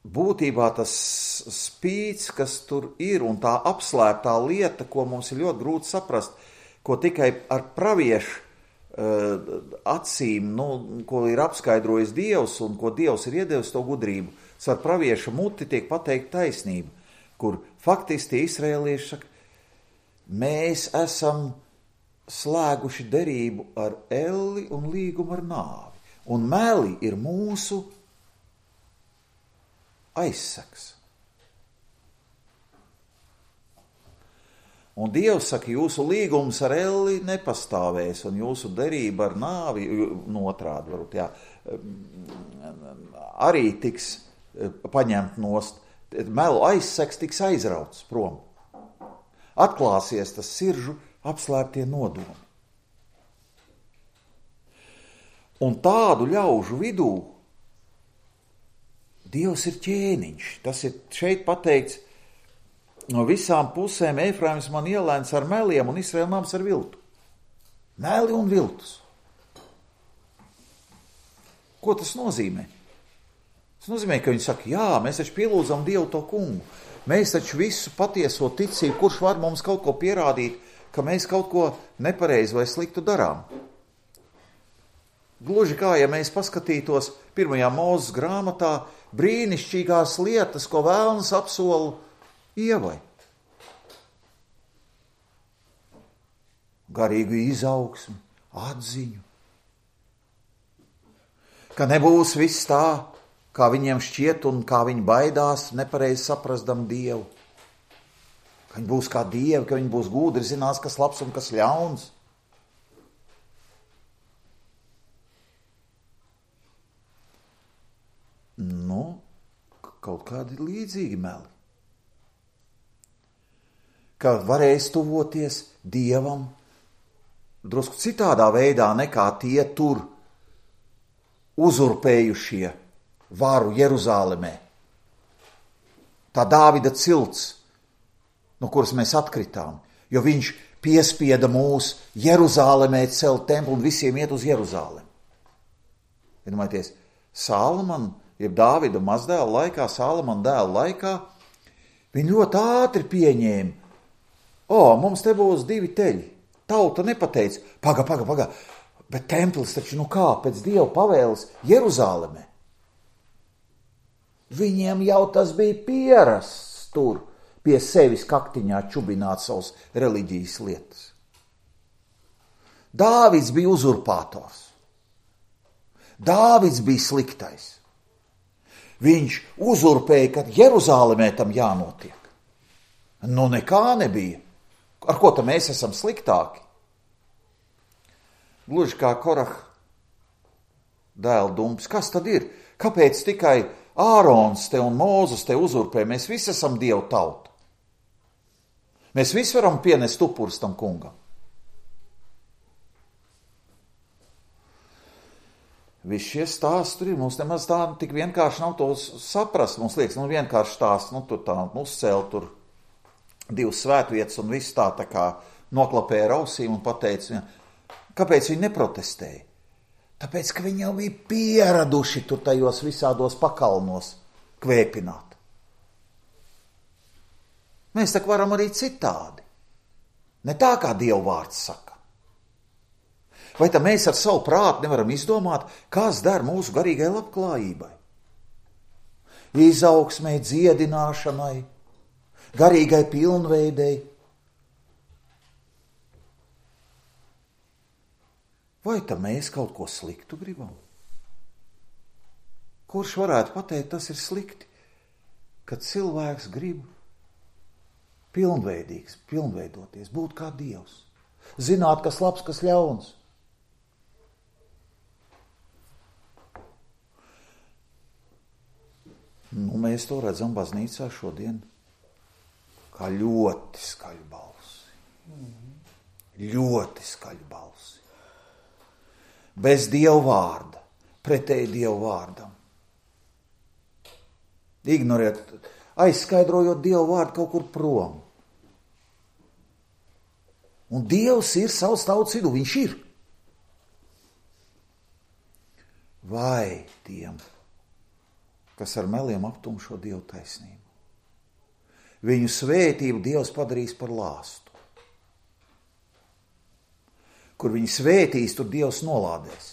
būtībā tas spīts, kas tur ir, un tā apslēptā lieta, ko mums ir ļoti grūti saprast, ko tikai ar praviešu uh, acīm, nu, ko ir apskaidrojis Dievs, un ko Dievs ir iedevis to gudrību, ar pravieša muti tiek pateikt taisnība, kur faktiski izraēlieši saka, mēs esam slēguši derību ar elli un līgumu ar nāvi, un meli ir mūsu aizsaks. Un Dievs saka, jūsu līgums ar elli nepastāvēs, un jūsu derība ar nāvi, no otrādi varbūt, jā, arī tiks paņemt nost, melu aizseks tiks aizrauts prom. Atklāsies tas siržu apslēptie nodomi. Un tādu ļaužu vidū Dievs ir ķēniņš. Tas ir šeit pateikts, no visām pusēm Efraims man ielēns ar meliem un Izraēla nams ar viltu. Meli un viltus. Ko tas nozīmē? Tas nozīmē, ka viņi saka, jā, mēs taču pielūdzam Dievu to kungu. Mēs taču visu patieso ticību, kurš var mums kaut ko pierādīt, ka mēs kaut ko nepareizi vai sliktu darām. Gluži kā, ja mēs paskatītos pirmajā Mūzes grāmatā brīnišķīgās lietas, ko Vēlns apsola Ievai. Garīgu izaugsmi, atziņu. Ka nebūs viss tā, kā viņiem šķiet un kā viņi baidās, nepareizi saprasdam Dievu. Ka viņi būs kā dievi, ka viņi būs gudri, zinās, kas labs un kas ļauns. Nu, kaut kādi līdzīgi meli. Ka varēs tuvoties Dievam drusku citādā veidā nekā tie tur uzurpējušie varu Jeruzālemē. Tā Dāvida cilts, no kuras mēs atkritām, jo viņš piespieda mūs Jeruzālemē celt templi un visiem iet uz Jeruzālemi. Iedomājieties, Sālamana, jeb Dāvida mazdēla laikā, Sālamana dēla laikā, viņi ļoti ātri pieņēma, o, mums te būs divi teļi. Tauta nepateica, paga, paga, paga, bet templis taču nu kā, pēc Dieva pavēles Jeruzālemē. Viņiem jau tas bija pierasts tur, pie sevis kaktiņā čubināt savas reliģijas lietas. Dāvids bija uzurpators. Dāvids bija sliktais. Viņš uzurpēja, ka Jeruzālemē tam jānotiek. Nu nekā nebija. Ar ko tam mēs esam sliktāki? Gluži kā Koraha dēla dumps. Kas tad ir? Kāpēc tikai Ārons te un Mūzes te uzurpē? Mēs visi esam Dievu tauta. Mēs visi varam pienest upurus tam kungam. Visi šie stāsti tur ir. Mums nemaz tā tik vienkārši nav to saprast. Mums liekas, nu vienkārši stāsts, nu tur tā uzcēl tur divas svētvietas un viss tā tā kā noklapēja ar ausīm un pateica, kāpēc viņi neprotestēja? Tāpēc, ka viņi jau bija pieraduši tur tajos visādos pakalnos kvēpināt. Mēs tā varam arī citādi. Ne tā, kā Dieva vārds saka. Vai tā mēs ar savu prātu nevaram izdomāt, kas der mūsu garīgai labklājībai? Izaugsmai, dziedināšanai, garīgai pilnveidei. Vai tā mēs kaut ko sliktu gribam? Kurš varētu pateikt, tas ir slikti, kad cilvēks grib pilnveidīgs, pilnveidoties, būt kā Dievs, zināt, kas labs, kas ļauns. Nu, mēs to redzam baznīcā šodien. Kā ļoti skaļu balsi. Mm-hmm. Ļoti skaļu balsi. Bez Dieva vārda, pretēji Dieva vārdam. Ignorēt, aizskaidrojot Dieva vārdu kaut kur prom. Un Dievs ir savs tautas vidū, viņš ir. Vai tiem, kas ar meliem aptumšo Dievu taisnību. Viņu svētību Dievs padarīs par lāstu. Kur viņi svētīs, tur Dievs nolādēs.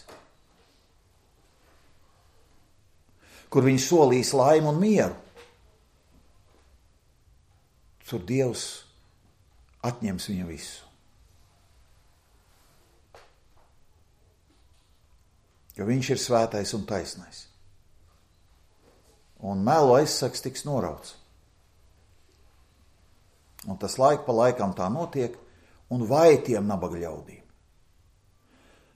Kur viņi solīs laimu un mieru, tur Dievs atņems viņu visu. Jo viņš ir svētais un taisnais. Un melu aizsaks tiks norauts. Un tas laik pa laikam tā notiek, un vai tiem nabaga ļaudīm.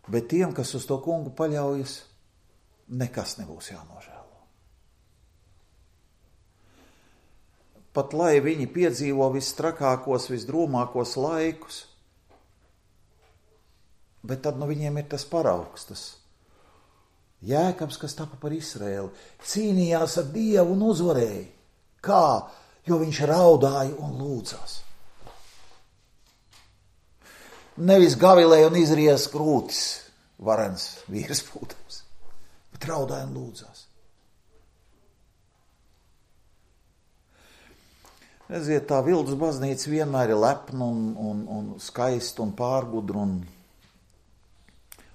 Bet tiem, kas uz to kungu paļaujas, nekas nebūs jānožēlo. Pat lai viņi piedzīvo visstrakākos, visdrūmākos laikus, bet tad no viņiem ir tas paraugs, tas Jēkabs, kas tapa par Izraēlu, cīnījās ar Dievu un uzvarēja. Kā? Jo viņš raudāja un lūdzās. Nevis gavilēja un izries krūtis, varens vīrs būtams, bet raudāja un lūdzās. Redziet, tā Vildas baznīca vienmēr ir lepna un, un, un skaista un pārgudra un,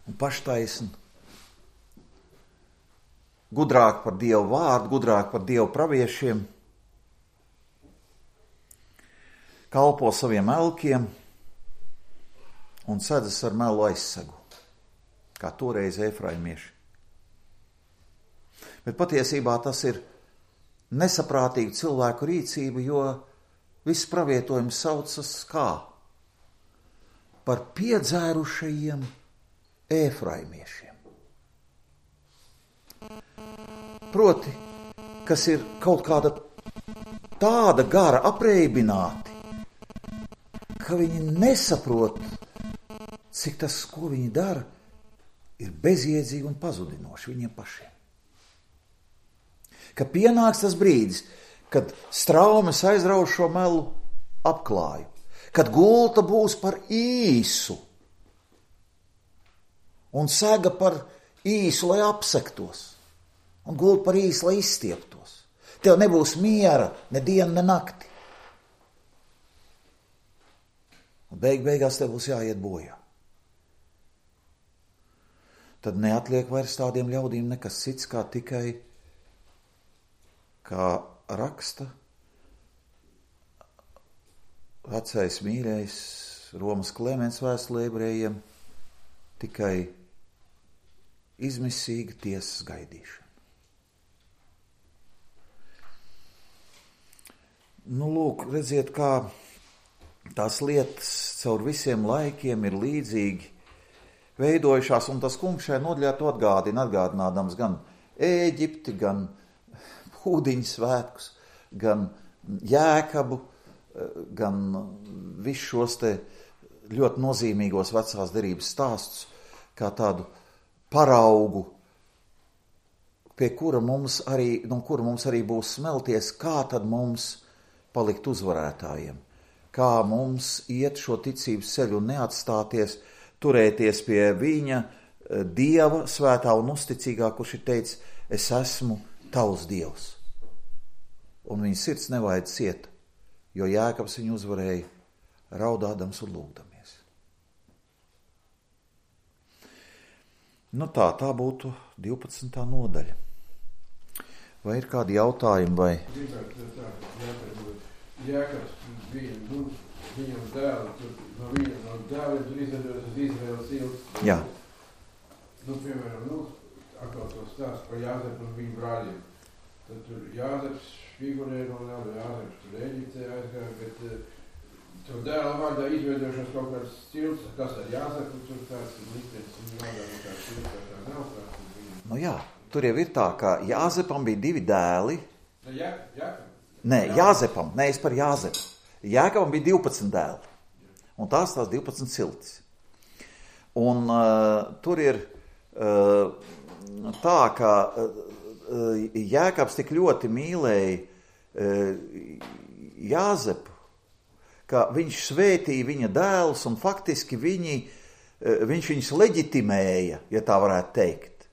un paštaisna. gudrāk par Dievu vārdu, gudrāk par Dievu praviešiem, kalpo saviem elkiem un sēdzas ar melu aizsegu, kā toreiz efraimieši. Bet patiesībā tas ir nesaprātīga cilvēku rīcība, jo viss pravietojums saucas kā? Par piedzērušajiem efraimiešiem. Proti, kas ir kaut kāda tāda gara apreibināti, ka viņi nesaprot, cik tas, ko viņi dara, ir bezjēdzīgi un pazudinoši viņiem pašiem. Ka pienāks tas brīdis, kad straumes aizrauj šo melu apklāju, kad gulta būs par īsu un sega par īsu, lai apsektos, un gulta par īsu, lai izstieptos. Tev nebūs miera ne dienu, ne nakti. Un beig beigās tev būs jāiet bojā. Tad neatliek vairs tādiem ļaudīm nekas cits, kā tikai, kā raksta vecais mīļais Romas Klemens vēstulē ebrejiem, tikai izmisīga tiesas gaidīšana. Nu, lūk, redziet, kā tās lietas caur visiem laikiem ir līdzīgi veidojušās, un tas kungs šai nodaļā to atgādina, atgādinādams gan Ēģipti, gan Ūdiņu svētkus, gan Jēkabu, gan visus šos te ļoti nozīmīgos vecās derības stāstus, kā tādu paraugu, pie kura mums arī, no kura mums arī būs smelties, kā tad mums palikt uzvarētājiem, kā mums iet šo ticības ceļu un neatstāties, turēties pie viņa Dieva svētā un uzticīgā, kurš ir teicis, es esmu tavs Dievs. Un viņa sirds nevajag ciet, jo Jēkabs viņu uzvarēja raudādams un lūgdamies. Nu tā, tā būtu divpadsmitā nodaļa. Vai ir kādi jautājumi vai? Jēkabs bija, nu, viņam dēli, tur, no viņa, no dēliem tur izvedojas uz Izraēlas ilgs. Jā. Nu, piemēram, nu, atkal to stāstu par Jāzepu un viņu brāļiem. Tad tur Jāzeps figurē no Nēla, Jāzeps tur Eģiptē aizgāja, bet uh, tur dēla vārdā izveidojušās kaut kāds stils, kas ar Jāzepu tur tāds liktenis, un vārdā no kāds stils, tā nav kāds. Nu jā, tur jau ir tā, ka Jāzepam bija divi dēli. Ne, Jā, Jākab. Nē, Jāzepam, nē, es par Jāzepu. Jēkabam bija divpadsmit dēli, un tās tās divpadsmit ciltis. Un uh, tur ir uh, tā, ka uh, Jēkabs tik ļoti mīlēja uh, Jāzepu, ka viņš svētīja viņa dēlus, un faktiski viņi, uh, viņš viņus leģitimēja, ja tā varētu teikt.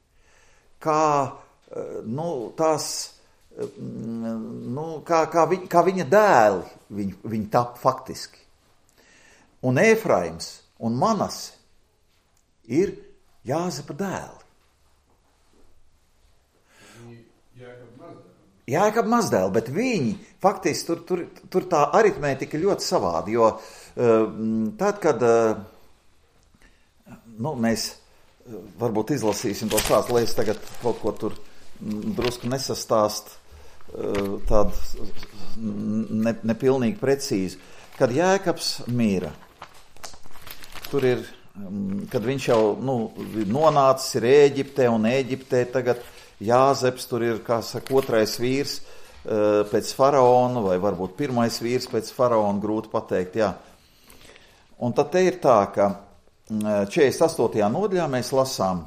Kā, uh, nu, tās... Nu, kā, kā, viņ, kā viņa dēli viņi, viņi tap faktiski. Un Efraims un Manase ir Jāzepa dēli. Jēkab mazdēli, bet viņi faktiski tur, tur, tur tā aritmētika ļoti savādi, jo uh, tad, kad uh, nu, mēs varbūt izlasīsim to stāstu, lai es tagad kaut ko tur drusku nesastāst tādu ne, nepilnīgi precīzi. Kad Jēkabs mīra, tur ir, kad viņš jau nu, nonācis ir Ēģiptē, un Ēģiptē tagad Jāzeps, tur ir, kā saka, otrais vīrs pēc faraona, vai varbūt pirmais vīrs pēc faraona, grūti pateikt, jā. Un tad te ir tā, ka četrdesmit astotajā nodaļā mēs lasām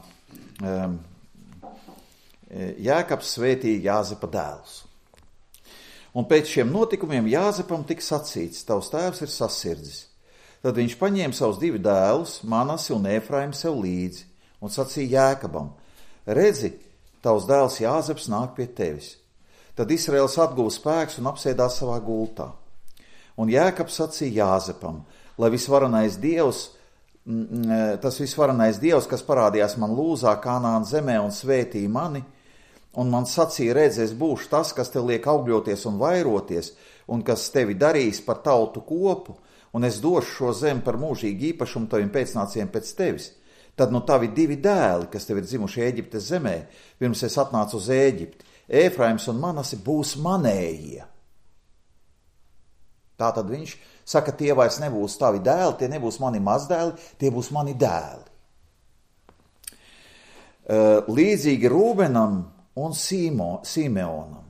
Jēkabs svētīja Jāzepa dēlus. Un pēc šiem notikumiem Jāzepam tika sacīts, tavs tēvs ir sasirdzis. Tad viņš paņēma savus divi dēlus, Manasi un Efraimu sev līdzi, un sacīja Jēkabam, redzi, tavs dēls Jāzeps nāk pie tevis. Tad Israels atguva spēks un apsēdās savā gultā. Un Jēkabs sacīja Jāzepam, lai visvarenais Dievs, tas visvarenais Dievs, kas parādījās man Lūzā, Kanāna zemē un svētīja mani, un man sacīja, redz, es būšu tas, kas tev liek augļoties un vairoties, un kas tevi darīs par tautu kopu, un es došu šo zemi par mūžīgu īpašumu taviem pēcnācējiem pēc tevis. Tad nu tavi divi dēli, kas tev ir dzimuši Ēģiptes zemē, pirms es atnācu uz Ēģipti, Ēfraims un Manase būs manējie. Tātad viņš saka, tie vairs nebūs tavi dēli, tie nebūs mani mazdēli, tie būs mani dēli. Līdzīgi Rūbenam un Sīmo, Simeonam.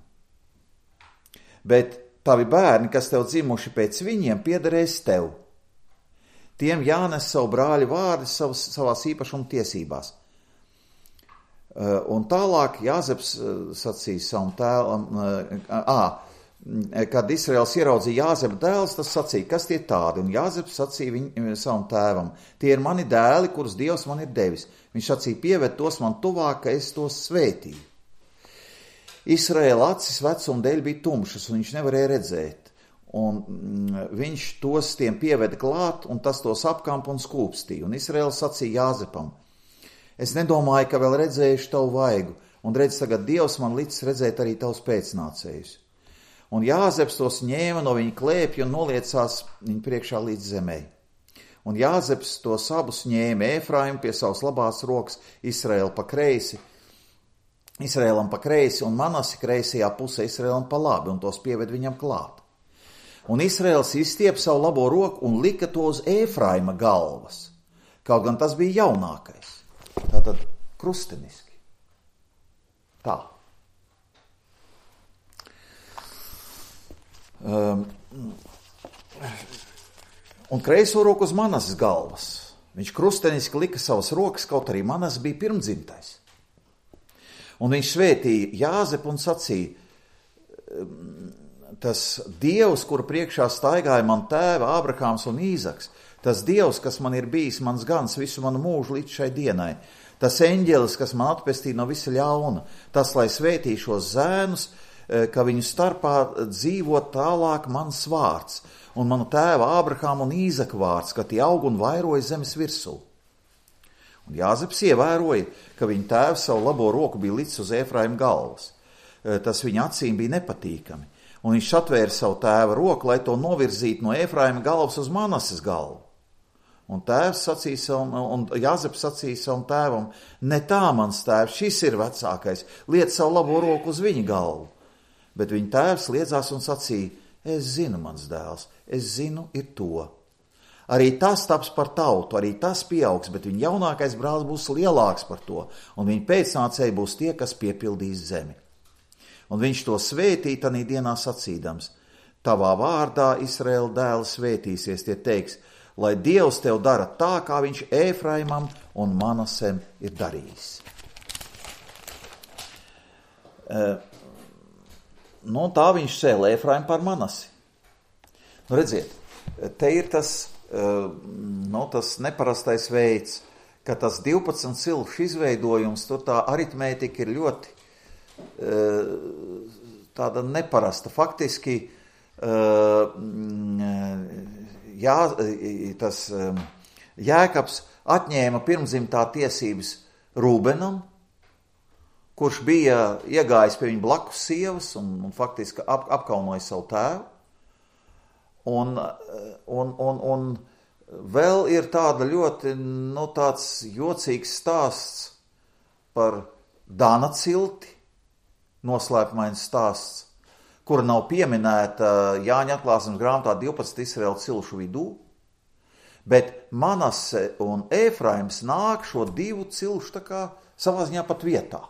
Bet tavi bērni, kas tev dzimuši pēc viņiem, piederēs tev. Tiem jānes savu brāļu vārdi savas, savās īpašuma tiesībās. Un tālāk Jāzeps sacīja savam tēlam, ā, kad Israels ieraudzīja Jāzepa dēls, tas sacīja, kas tie tādi, un Jāzeps sacīja viņ, savam tēvam, tie ir mani dēli, kurus Dievs man ir devis. Viņš sacīja, pieved tos man tuvāk, ka es tos svētīju. Israēla acis vecuma dēļ bija tumšas, un viņš nevarēja redzēt, un viņš tos tiem pieveda klāt, un tas tos apkamp un skūpstīja, un Israēla sacīja Jāzepam, es nedomāju, ka vēl redzējuši tavu vaigu, un redz tagad Dievs man licis redzēt arī tavus pēcnācējus. Un Jāzeps tos ņēma no viņa klēpja un noliecās viņa priekšā līdz zemē. Un Jāzeps tos abus ņēma Ēfraimu pie savas labās rokas, Israēlu pa kreisi, Israēlam pa kreisi un Manasi kreisajā pusē Israēlam pa labi, un tos pieved viņam klāt. Un Israēls izstiep savu labo roku un lika to uz Ēfraima galvas, kaut gan tas bija jaunākais. Tātad krusteniski. Tā. Um, un kreiso roku uz Manases galvas. Viņš krusteniski lika savas rokas, kaut arī Manas bija pirmdzimtais. Un viņš svētīja Jāzepu un sacīja, tas Dievs, kuru priekšā staigāja man tēva Ābrahāms un Īzaks, tas Dievs, kas man ir bijis mans gans visu manu mūžu līdz šai dienai, tas eņģelis, kas man atpestīja no visa ļauna, tas, lai svētī šos zēnus, ka viņu starpā dzīvo tālāk mans vārds, un manu tēva Ābrahāma un Īzaka vārds, ka tie aug un vairoja zemes virsū. Un Jāzeps ievēroja, ka viņa tēvs savu labo roku bija licis uz Ēfraima galvas. Tas viņa acīm bija nepatīkami, un viņš atvēra savu tēva roku, lai to novirzītu no Ēfraima galvas uz Manases galvu. Un tēvs sacīja savam, un Jāzeps sacīja savam tēvam, ne tā mans tēvs, šis ir vecākais, liec savu labo roku uz viņa galvu. Bet viņa tēvs liedzās un sacīja, es zinu, mans dēls, es zinu, ir to. Arī tas taps par tautu, arī tas pieaugs, bet viņa jaunākais brālis būs lielāks par to, un viņa pēcnācēji būs tie, kas piepildīs zemi. Un viņš to svētīja tanī dienā sacīdams, tavā vārdā Izraēla dēli svētīsies, tie teiks, lai Dievs tev dara tā, kā viņš Ēfraimam un Manasem ir darījis. Uh, Nu, tā viņš cēla Ēfraimu par Manasi. Nu, redziet, te ir tas, nu, tas neparastais veids, ka tas divpadsmit cilšu izveidojums, tur tā aritmētika ir ļoti tāda neparasta. Faktiski, jā, tas Jēkabs atņēma pirmdzimtā tiesības Rūbenam, kurš bija iegājis pie viņa blakus sievas un, un faktiski ap, apkaunoja savu tēvu. Un, un, un, un vēl ir tāda ļoti, nu, tāds jocīgs stāsts par Dana cilti, noslēpumains stāsts, kura nav pieminēta Jāņa atklāsmes grāmatā divpadsmit Izraēla cilšu vidū, bet Manase un Ēfraims nāk šo divu cilšu tā kā savā ziņā pat vietā.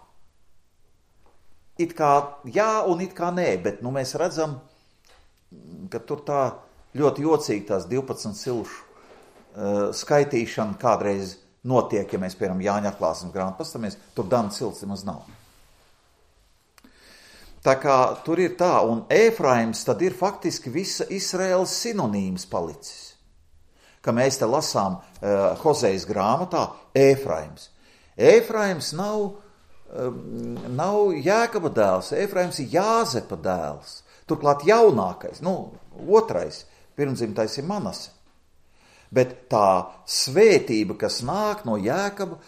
It kā jā un it kā nē, bet nu, mēs redzam, ka tur tā ļoti jocīgi tās divpadsmit cilšu uh, skaitīšana kādreiz notiek, ja mēs, piemēram, Jāņa atklāsmes grāmatu pastamies, tur Dana cilts nemaz nav. Tā kā tur ir tā, un Ēfraims tad ir faktiski visa Izraēlas sinonīms palicis. Ka mēs te lasām uh, Hozejas grāmatā Ēfraims. Ēfraims nav nav Jēkaba dēls, Ēfraims ir Jāzepa dēls, turklāt jaunākais, nu, otrais, pirmdzimtais ir Manase. Bet tā svētība, kas nāk no Jēkaba,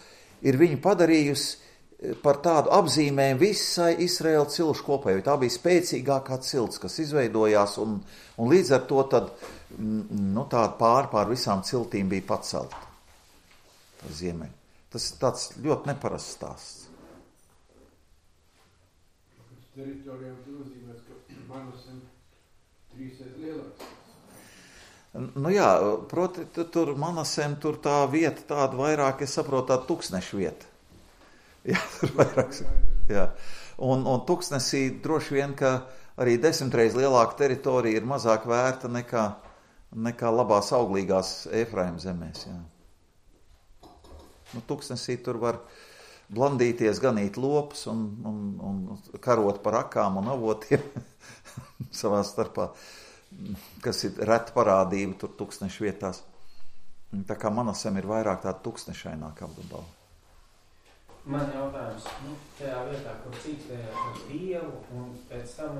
ir viņu padarījusi par tādu apzīmējumu visai Izraēla cilšu kopā, jo tā bija spēcīgākā cilts, kas izveidojās, un, un līdz ar to tad, nu, tāda pār pār visām ciltīm bija pacelta. Tas ziemeļ. Tas ir tāds ļoti neparasts stāsts. Teritorijām tu nozīmēs, ka Manasem trīsreiz lielāks. Nu jā, proti, tur Manasem, tur tā vieta tāda vairāk, es saprotu, tāda tūkstneša vieta. Jā, tur vairāk. Jā. Un, un tūkstnesī droši vien, ka arī desmitreiz lielāka teritorija ir mazāk vērta nekā, nekā labās auglīgās Efraima zemēs. Jā. Nu, tūkstnesī tur var blandīties, ganīt lopus un, un, un karot par akām un avotiem savā starpā, kas ir reta parādība tur tūkstnešu vietās. Tā kā Manasem ir vairāk tāda tūkstnešaināka apgabala. Man jautājums, nu, tajā vietā, kur cīkstējās ar Dievu un pēc tam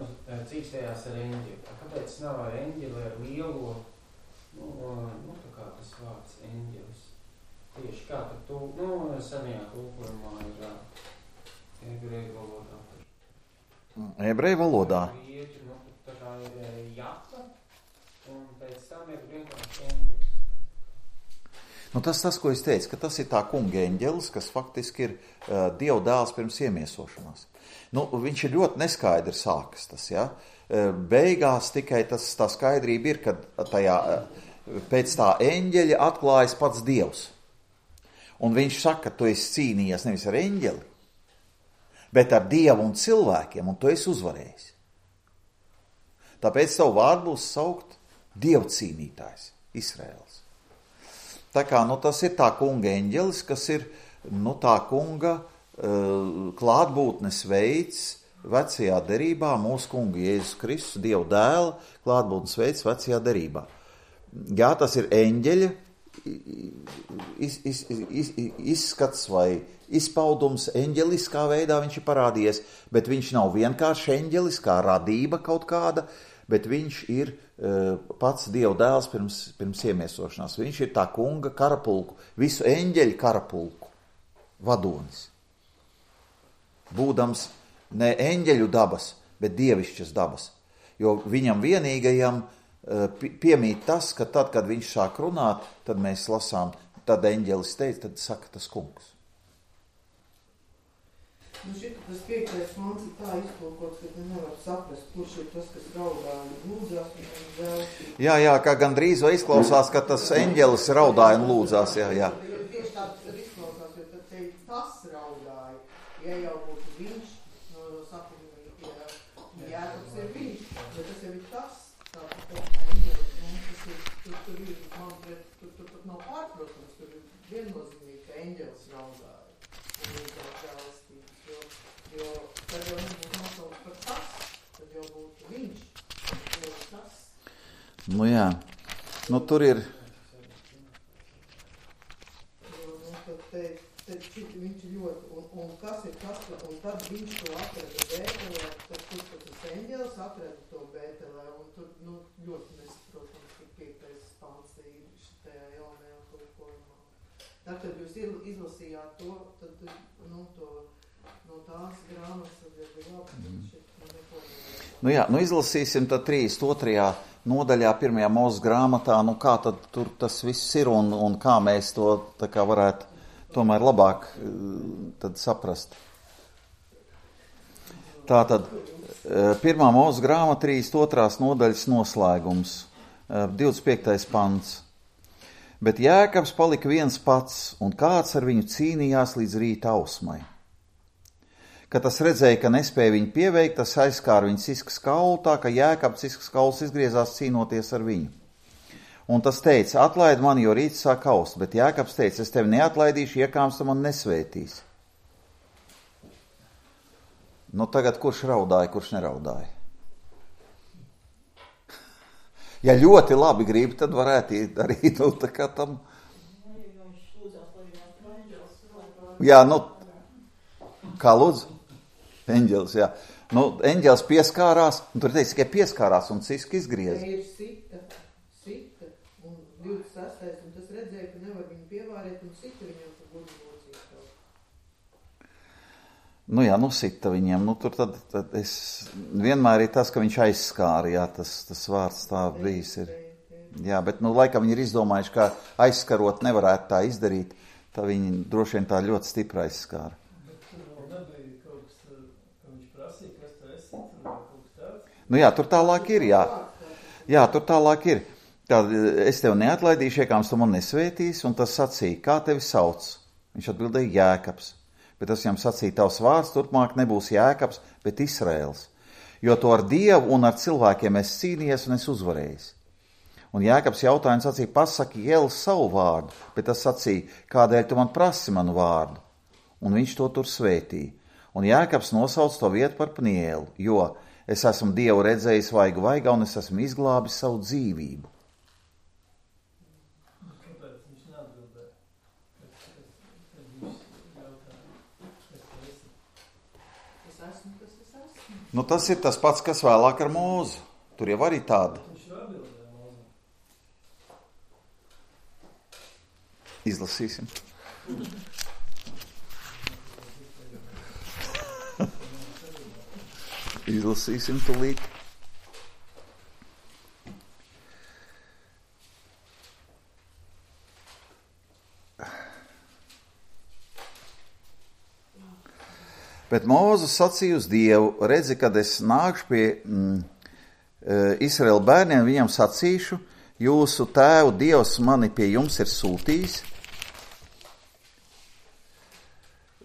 cīkstējās ar eņģeli. Kāpēc nav ar eņģeli, ar lielo, nu, nu tā kā tas vārds eņģelis? Tieši kā tad tu, nu, senajā tulkojumā ir ebreju valodā. Ebreju valodā? Grieķu, nu, tā kā ir jaka, un pēc tam ir vienkārši eņģelis. Nu, tas tas, ko es teicu, ka tas ir tā kunga eņģelis, kas faktiski ir uh, Dieva dēls pirms iemiesošanās. Nu, viņš ir ļoti neskaidri sākas tas, ja? Uh, beigās tikai tas, tā skaidrība ir, kad tajā, uh, pēc tā eņģeļa atklājas pats Dievs. Un viņš saka, tu esi cīnījies nevis ar eņģeli, bet ar Dievu un cilvēkiem, un tu esi uzvarējis. Tāpēc savu vārdu būs saukt Dievu cīnītājs, Izraēls. Tā kā, nu, tas ir tā kunga eņģelis, kas ir, nu, tā kunga uh, klātbūtnes veids vecajā derībā, mūsu kunga Jēzus Kristus, Dieva dēla klātbūtnes veids vecajā derībā. Jā, tas ir eņģeļa iz, iz, iz, izskats vai izpaudums, eņģeliskā veidā viņš ir parādījies, bet viņš nav vienkārši eņģelis, kā radība kaut kāda, bet viņš ir uh, pats Dieva dēls pirms, pirms iemiesošanās. Viņš ir tā kunga karapulku, visu eņģeļu karapulku vadonis. Būdams ne eņģeļu dabas, bet dievišķas dabas. Jo viņam vienīgajam uh, piemīt tas, ka tad, kad viņš sāk runāt, tad mēs lasām, tad eņģelis teica, tad saka tas kungs. Nu šit, tas piektais mans ir tā iztulkots, ka nevar saprast, kurš ir tas, kas raudā un lūdzās un žēlstīt. Jā, jā, kā gandrīz vai izklausās, ka tas eņģelis raudāja un lūdzās, jā, jā. Tieši tāds ir izklausās, jo tad teikt, tas raudāja. Ja jau būtu viņš, no, no sakuma, ja Jēkabs ir viņš, bet tas jau ir tas, tā, tā eņģelis, nu, tas ir, tur, tur ir, man pret, tur, tur pat nav pārprotams, tur ir viennozīmīgi, ka eņģelis raudāja un lūdzās žēlstīt. Jo tad jau nebūtu nosaukts par tas, tad jau būtu viņš, tad jau tas. Nu jā, nu tur ir. Jo, nu tad te, te šit viņš ļoti, un, un kas ir tas, un tad viņš to atrada Bētelē, tad tur tas eņģelis atrada to Bētelē, un tur, nu, ļoti nesaprotams, ka piektais pants ir šitajā jaunajā tulkojumā. Tā, kad jūs izlasījāt to, tad, nu, to, no tās grāmatas, tad jau bija labi, tad šeit neko nevar. Nu jā, nu izlasīsim tad trīsdesmit otrajā nodaļā, pirmajā Mūzes grāmatā, nu kā tad tur tas viss ir un, un kā mēs to tā kā varētu tomēr labāk tad saprast. Tātad, pirmā Mūzes grāmata, trīsdesmit otrās nodaļas noslēgums, divdesmit piektais pants. Bet Jēkabs palika viens pats, un kāds ar viņu cīnījās līdz rīta ausmai. Kad tas redzēja, ka nespēja viņu pieveikt, tas aizskāra viņu ciskas kaulu, tā ka Jēkabs ciskas kauls izgriezās cīnoties ar viņu. Un tas teica, atlaid mani, jo rīts sāk aust, bet Jēkabs teica, es tevi neatlaidīšu, iekāms tu man nesvētīs. Nu tagad kurš raudāja, kurš neraudāja? Ja ļoti labi grib, tad varētu darīt, nu tā kā tam. Jā, nu, kā lūdzu? Eņģelis, jā. Nu, eņģelis pieskārās, un tur teica, ka pieskārās un ciski izgrieza. Te ir sita, sita, un divdesmit sestais, un tas redzēja, ka nevar viņu pievārēt, un sita viņam pa guļu locīt. Nu jā, nu sita viņiem, nu tur tad, tad es, vienmēr ir tas, ka viņš aizskāra, jā, tas, tas vārds tā bijis ir. Jā, bet, nu, laikam viņi ir izdomājuši, ka aizskarot nevarētu tā izdarīt, tā viņi droši vien tā ļoti stipri aizskāra. Bet tur vēl nebija kaut kas, ka viņš prasīja, kas tu esi, tur vēl kaut kas tāds? Nu jā, tur tālāk ir, jā. Jā, tur tālāk ir. Tad es tev neatlaidīšu, iekāms tu man nesvētīs, un tas sacīja, kā tevi sauc? Viņš atbildēja Jēkabs. Bet tas viņam sacīja, tavs vārds turpmāk nebūs Jēkabs, bet Israels. Jo to ar Dievu un ar cilvēkiem es cīnījies un es uzvarējis. Un Jēkabs jautāja un sacīja, pasaki Jēlu savu vārdu, bet tas sacīja, kādēļ tu man prasi manu vārdu? Un viņš to tur svētīja. Un Jēkabs nosauc to vietu par Pnielu, jo es esmu Dievu redzējis vaigu vaigā un es esmu izglābis savu dzīvību. Kāpēc viņš neatbildēja? Kad viņš jautāja, kas tu esi? Es esmu, kas es esmu. Nu, tas ir tas pats, kas vēlāk ar Mūzu. Tur jau arī tāda. Viņš ir atbildēja Mūzum. Izlasīsim. Izlasīsim tulīt. Bet Mūzes sacīja uz Dievu, redzi, kad es nākšu pie mm, Izraēla bērniem, viņam sacīšu, jūsu tēvu Dievs mani pie jums ir sūtījis.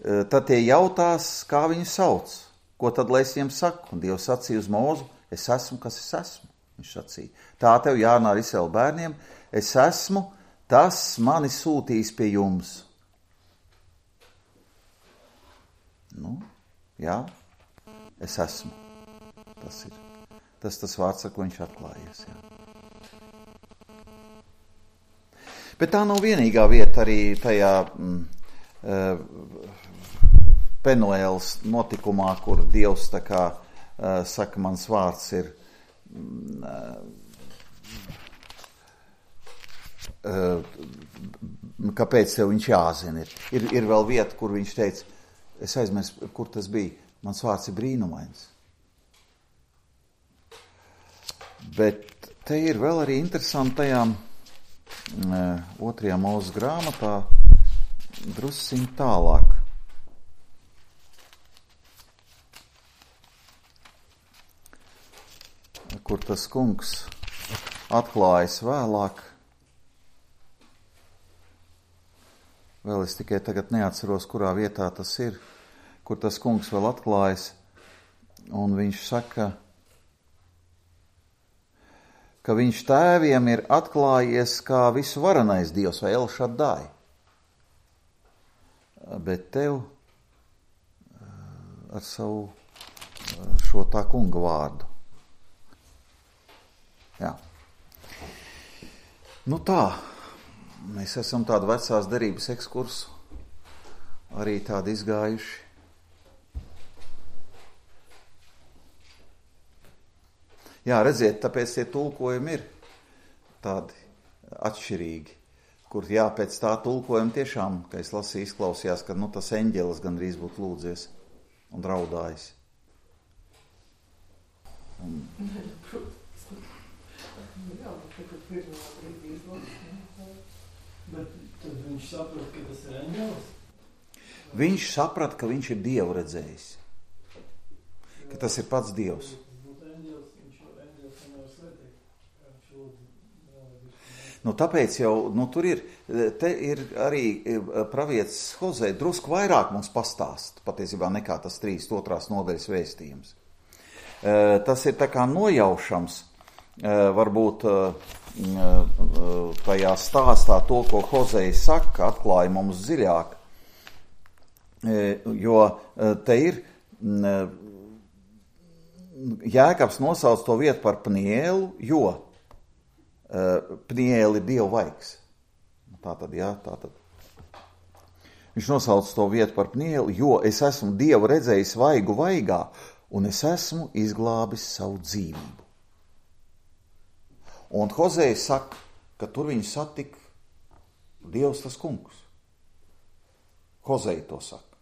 Tad tie jautās, kā viņu sauc, ko tad lai es viņiem saku? Un Dievs sacīja uz Mūzu, es esmu, kas es esmu. Viņš sacīja, tā tev jārunā ar Izraēla bērniem, es esmu, tas mani sūtījis pie jums. Nu, jā, es esmu. Tas ir tas, tas vārds, ar ko viņš atklājies. Jā. Bet tā nav vienīgā vieta arī tajā mm, uh, Penuēlas notikumā, kur Dievs tā kā uh, saka, mans vārds ir mm, uh, kāpēc tev viņš jāzina. Ir, ir, ir vēl vieta, kur viņš teica, es aizmirsu, kur tas bija. Mans vārds ir brīnumains. Bet te ir vēl arī interesantajā uh, otrajā Mūzes grāmatā drusciņ tālāk. Kur tas kungs atklājas vēlāk. Vēl es tikai tagad neatceros, kurā vietā tas ir, kur tas kungs vēl atklājas, un viņš saka, ka viņš tēviem ir atklājies kā visu varenais Dievs vai El Shaddai. Bet tev ar savu šo tā kunga vārdu. Jā. Nu tā, mēs esam tādu vecās derības ekskursu arī tādi izgājuši. Jā, redziet, tāpēc tie tulkojumi ir tādi atšķirīgi, kur jā, pēc tā tulkojuma tiešām, ka es lasīju, izklausījās, ka nu, tas eņģelis gandrīz būtu lūdzies un raudājis. Un... Jā, bet pirmā brīdī izlasīt. Bet tad viņš saprot, ka tas ir eņģelis? Viņš saprat, ka viņš ir Dievu redzējis. Ka tas ir pats Dievs. Nu, tāpēc jau, nu, tur ir, te ir arī pravietis Hozē drusku vairāk mums pastāst, patiesībā nekā tas trīsdesmit otrās nodaļas vēstījums. Tas ir tā kā nojaušams, varbūt tajā stāstā to, ko Hozē saka, atklāja mums dziļāk, jo te ir, Jēkabs nosauc to vietu par Pnielu, jo Pnieli ir Dieva vaigs. Tā tad, jā, tā tad. Viņš nosauc to vietu par Pnieli, jo es esmu Dievu redzējis vaigu vaigā, un es esmu izglābis savu dzīvību. Un Hozēja saka, ka tur viņu satika Dievs tas kungs. Hozēja to saka.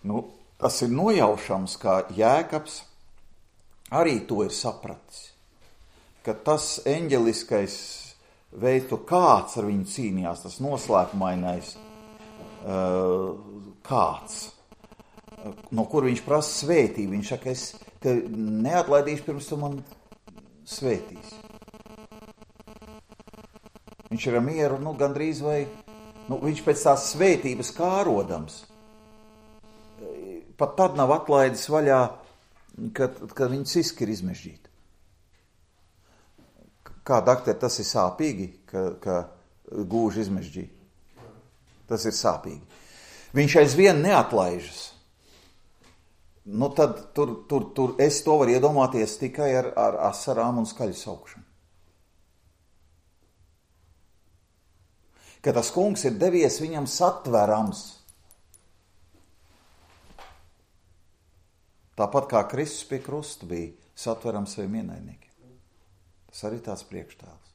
Nu, tas ir nojaušams, kā Jēkabs arī to ir sapratis, ka tas eņģeliskais veids, to kāds ar viņu cīnījās, tas noslēpumainais kāds, no kur viņš prasa svētību. Viņš saka, es te neatlaidīšu, pirms tu man svētīsi. Viņš ir ar mieru, nu, gandrīz vai, nu, viņš pēc tās svētības kārodams. Pat tad nav atlaidis vaļā, kad, kad viņu ciski ir izmežģīti. Kā, dakter, tas ir sāpīgi, ka, ka gūži izmežģīti? Tas ir sāpīgi. Viņš aizvien neatlaižas. Nu, tad tur, tur, tur es to varu iedomāties tikai ar, ar asarām un skaļu saukšanu. Ka tas kungs ir devies viņam satverams. Tāpat kā Kristus pie krusta bija satverams saviem ienaidniekiem. Tas arī tāds priekštēls.